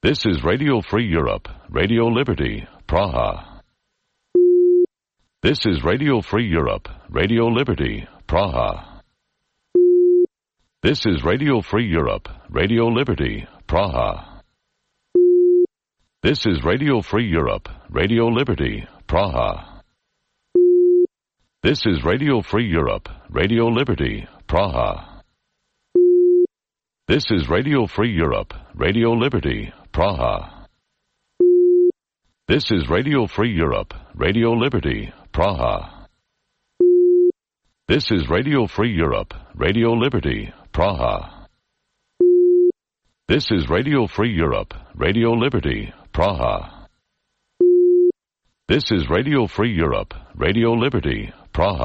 This is Radio Free Europe, Radio Liberty, Praha. This is Radio Free Europe, Radio Liberty, Praha. This is Radio Free Europe, Radio Liberty, Praha. This is Radio Free Europe, Radio Liberty, Praha. This is Radio Free Europe, Radio Liberty, Praha. This is Radio Free Europe, Radio Liberty, Praha. This is Radio Free Europe, Radio Liberty, Praha. This is Radio Free Europe, Radio Liberty, Praha. This is Radio Free Europe, Radio Liberty, Praha. This is Radio Free Europe, Radio Liberty, Praha.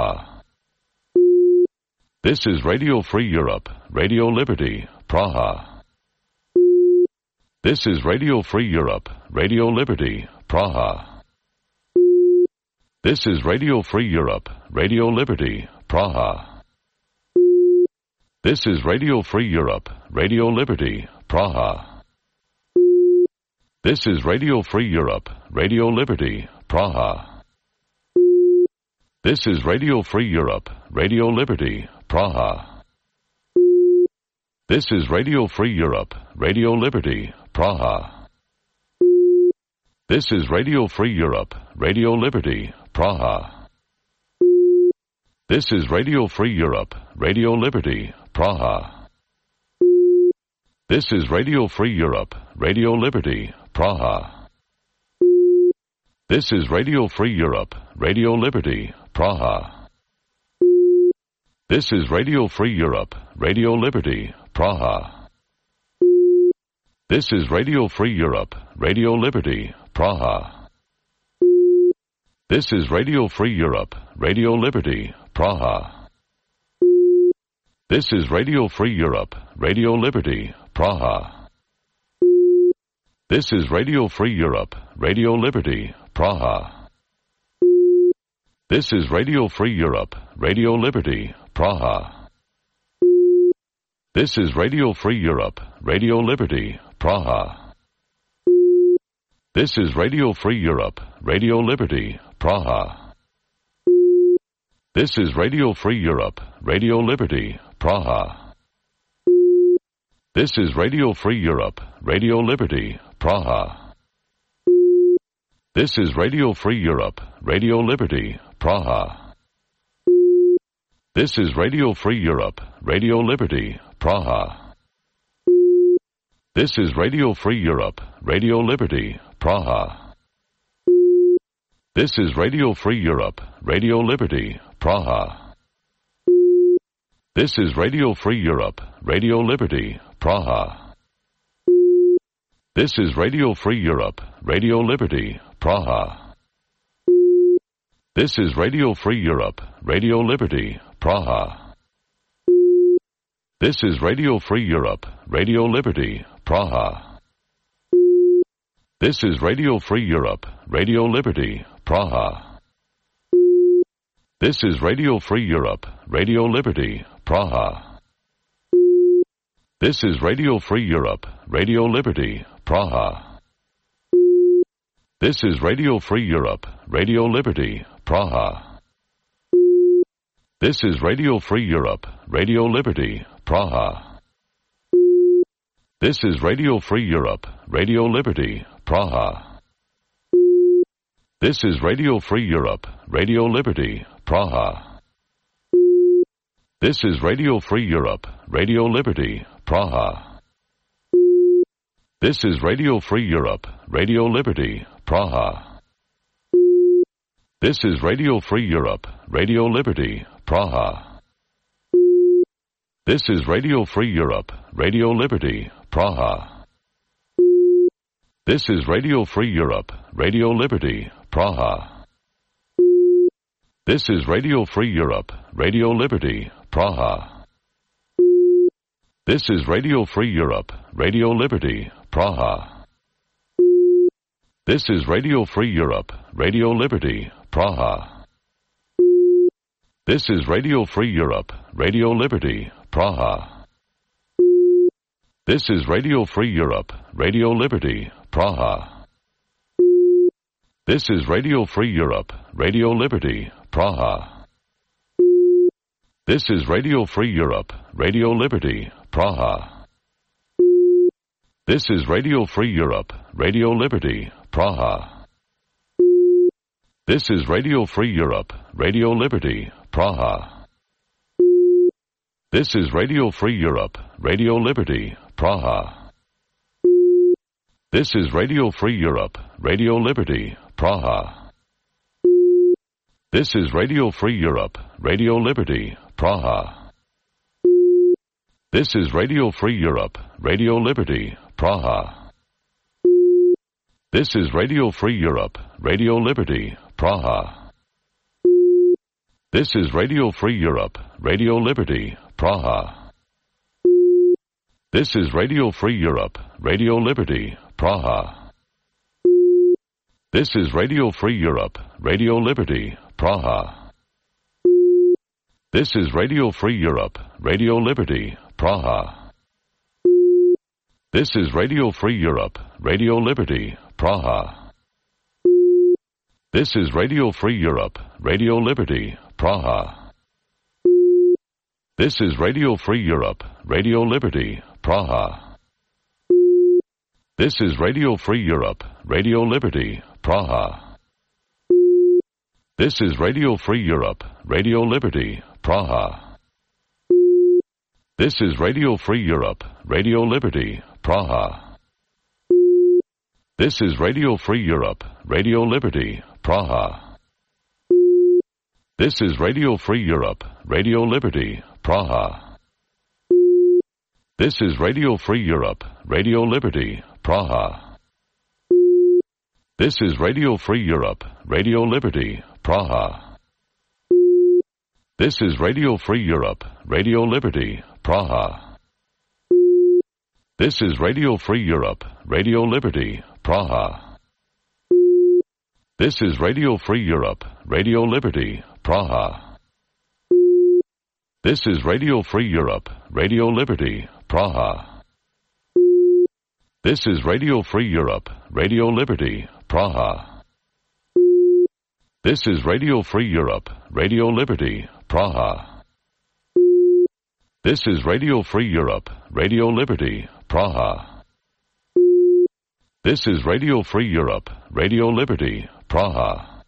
This is Radio Free Europe, Radio Liberty, Praha. This is Radio Free Europe, Radio Liberty, Praha. This is Radio Free Europe, Radio Liberty, Praha. This is Radio Free Europe, Radio Liberty, Praha. This is Radio Free Europe, Radio Liberty, Praha. This is Radio Free Europe, Radio Liberty, Praha. This is Radio Free Europe, Radio Liberty, Praha. This is Radio Free Europe, Radio Liberty, Praha. This is Radio Free Europe, Radio Liberty, Praha. This is Radio Free Europe, Radio Liberty, Praha. This is Radio Free Europe, Radio Liberty, Praha. This is Radio Free Europe, Radio Liberty, Praha. This is Radio Free Europe, Radio Liberty, Praha. This is Radio Free Europe, Radio Liberty, Praha. This is Radio Free Europe, Radio Liberty, Praha. This is Radio Free Europe, Radio Liberty, Praha. This is Radio Free Europe, Radio Liberty, Praha. This is Radio Free Europe, Radio Liberty, Praha. This is Radio Free Europe, Radio Liberty, Praha. This is Radio Free Europe, Radio Liberty, Praha. This is Radio Free Europe, Radio Liberty, Praha. This is Radio Free Europe, Radio Liberty, Praha. This is Radio Free Europe, Radio Liberty, Praha. This is Radio Free Europe, Radio Liberty, Praha. This is Radio Free Europe, Radio Liberty, Praha. This is Radio Free Europe, Radio Liberty, Praha. This is Radio Free Europe, Radio Liberty, Praha. This is Radio Free Europe, Radio Liberty, Praha. This is Radio Free Europe, Radio Liberty, Praha. This is Radio Free Europe, Radio Liberty, Praha. This is Radio Free Europe, Radio Liberty, Praha. This is Radio Free Europe, Radio Liberty, Praha. This is Radio Free Europe, Radio Liberty, Praha. This is Radio Free Europe, Radio Liberty, Praha. This is Radio Free Europe, Radio Liberty, Praha. This is Radio Free Europe, Radio Liberty, Praha. This is Radio Free Europe, Radio Liberty, Praha. This is Radio Free Europe, Radio Liberty, Praha. This is Radio Free Europe, Radio Liberty, Praha. This is Radio Free Europe, Radio Liberty, Praha. This is Radio Free Europe, Radio Liberty, Praha. This is Radio Free Europe, Radio Liberty, Praha. This is Radio Free Europe, Radio Liberty, Praha. This is Radio Free Europe, Radio Liberty, Praha. This is Radio Free Europe, Radio Liberty, Praha. This is Radio Free Europe, Radio Liberty, Praha. This is Radio Free Europe, Radio Liberty, Praha. This is Radio Free Europe, Radio Liberty, Praha. This is Radio Free Europe, Radio Liberty, Praha. This is Radio Free Europe, Radio Liberty, Praha. This is Radio Free Europe, Radio Liberty, Praha. This is Radio Free Europe, Radio Liberty, Praha. This is Radio Free Europe, Radio Liberty, Praha. This is Radio Free Europe, Radio Liberty, Praha. This is Radio Free Europe, Radio Liberty, Praha. This is Radio Free Europe, Radio Liberty, Praha. This is Radio Free Europe, Radio Liberty, Praha. This is Radio Free Europe, Radio Liberty, Praha. This is Radio Free Europe, Radio Liberty, Praha. This is Radio Free Europe, Radio Liberty, Praha. This is Radio Free Europe, Radio Liberty, Praha. This is Radio Free Europe, Radio Liberty, Praha. This is Radio Free Europe, Radio Liberty, Praha. This is Radio Free Europe, Radio Liberty, Praha. This is Radio Free Europe, Radio Liberty, Praha. This is Radio Free Europe, Radio Liberty, Praha. This is Radio Free Europe, Radio Liberty, Praha. This is Radio Free Europe, Radio Liberty, Praha. This is Radio Free Europe, Radio Liberty, Praha. This is Radio Free Europe, Radio Liberty, Praha. This is Radio Free Europe, Radio Liberty, Praha. This is Radio Free Europe, Radio Liberty, Praha. This is Radio Free Europe, Radio Liberty, Praha. This is Radio Free Europe, Radio Liberty, Praha. This is Radio Free Europe, Radio Liberty, Praha. This is Radio Free Europe, Radio Liberty, Praha. This is Radio Free Europe, Radio Liberty, Praha.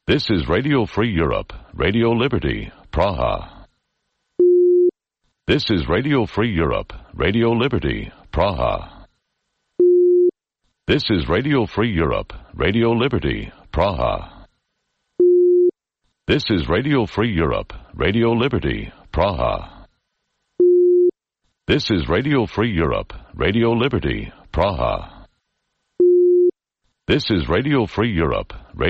This is Radio Free Europe, Radio Liberty, Praha. This is Radio Free Europe, Radio Liberty, Praha. This is Radio Free Europe, Radio Liberty, Praha. This is Radio Free Europe, Radio Liberty, Praha. This is Radio Free Europe, Radio Liberty, Praha. This is Radio Free Europe, Radio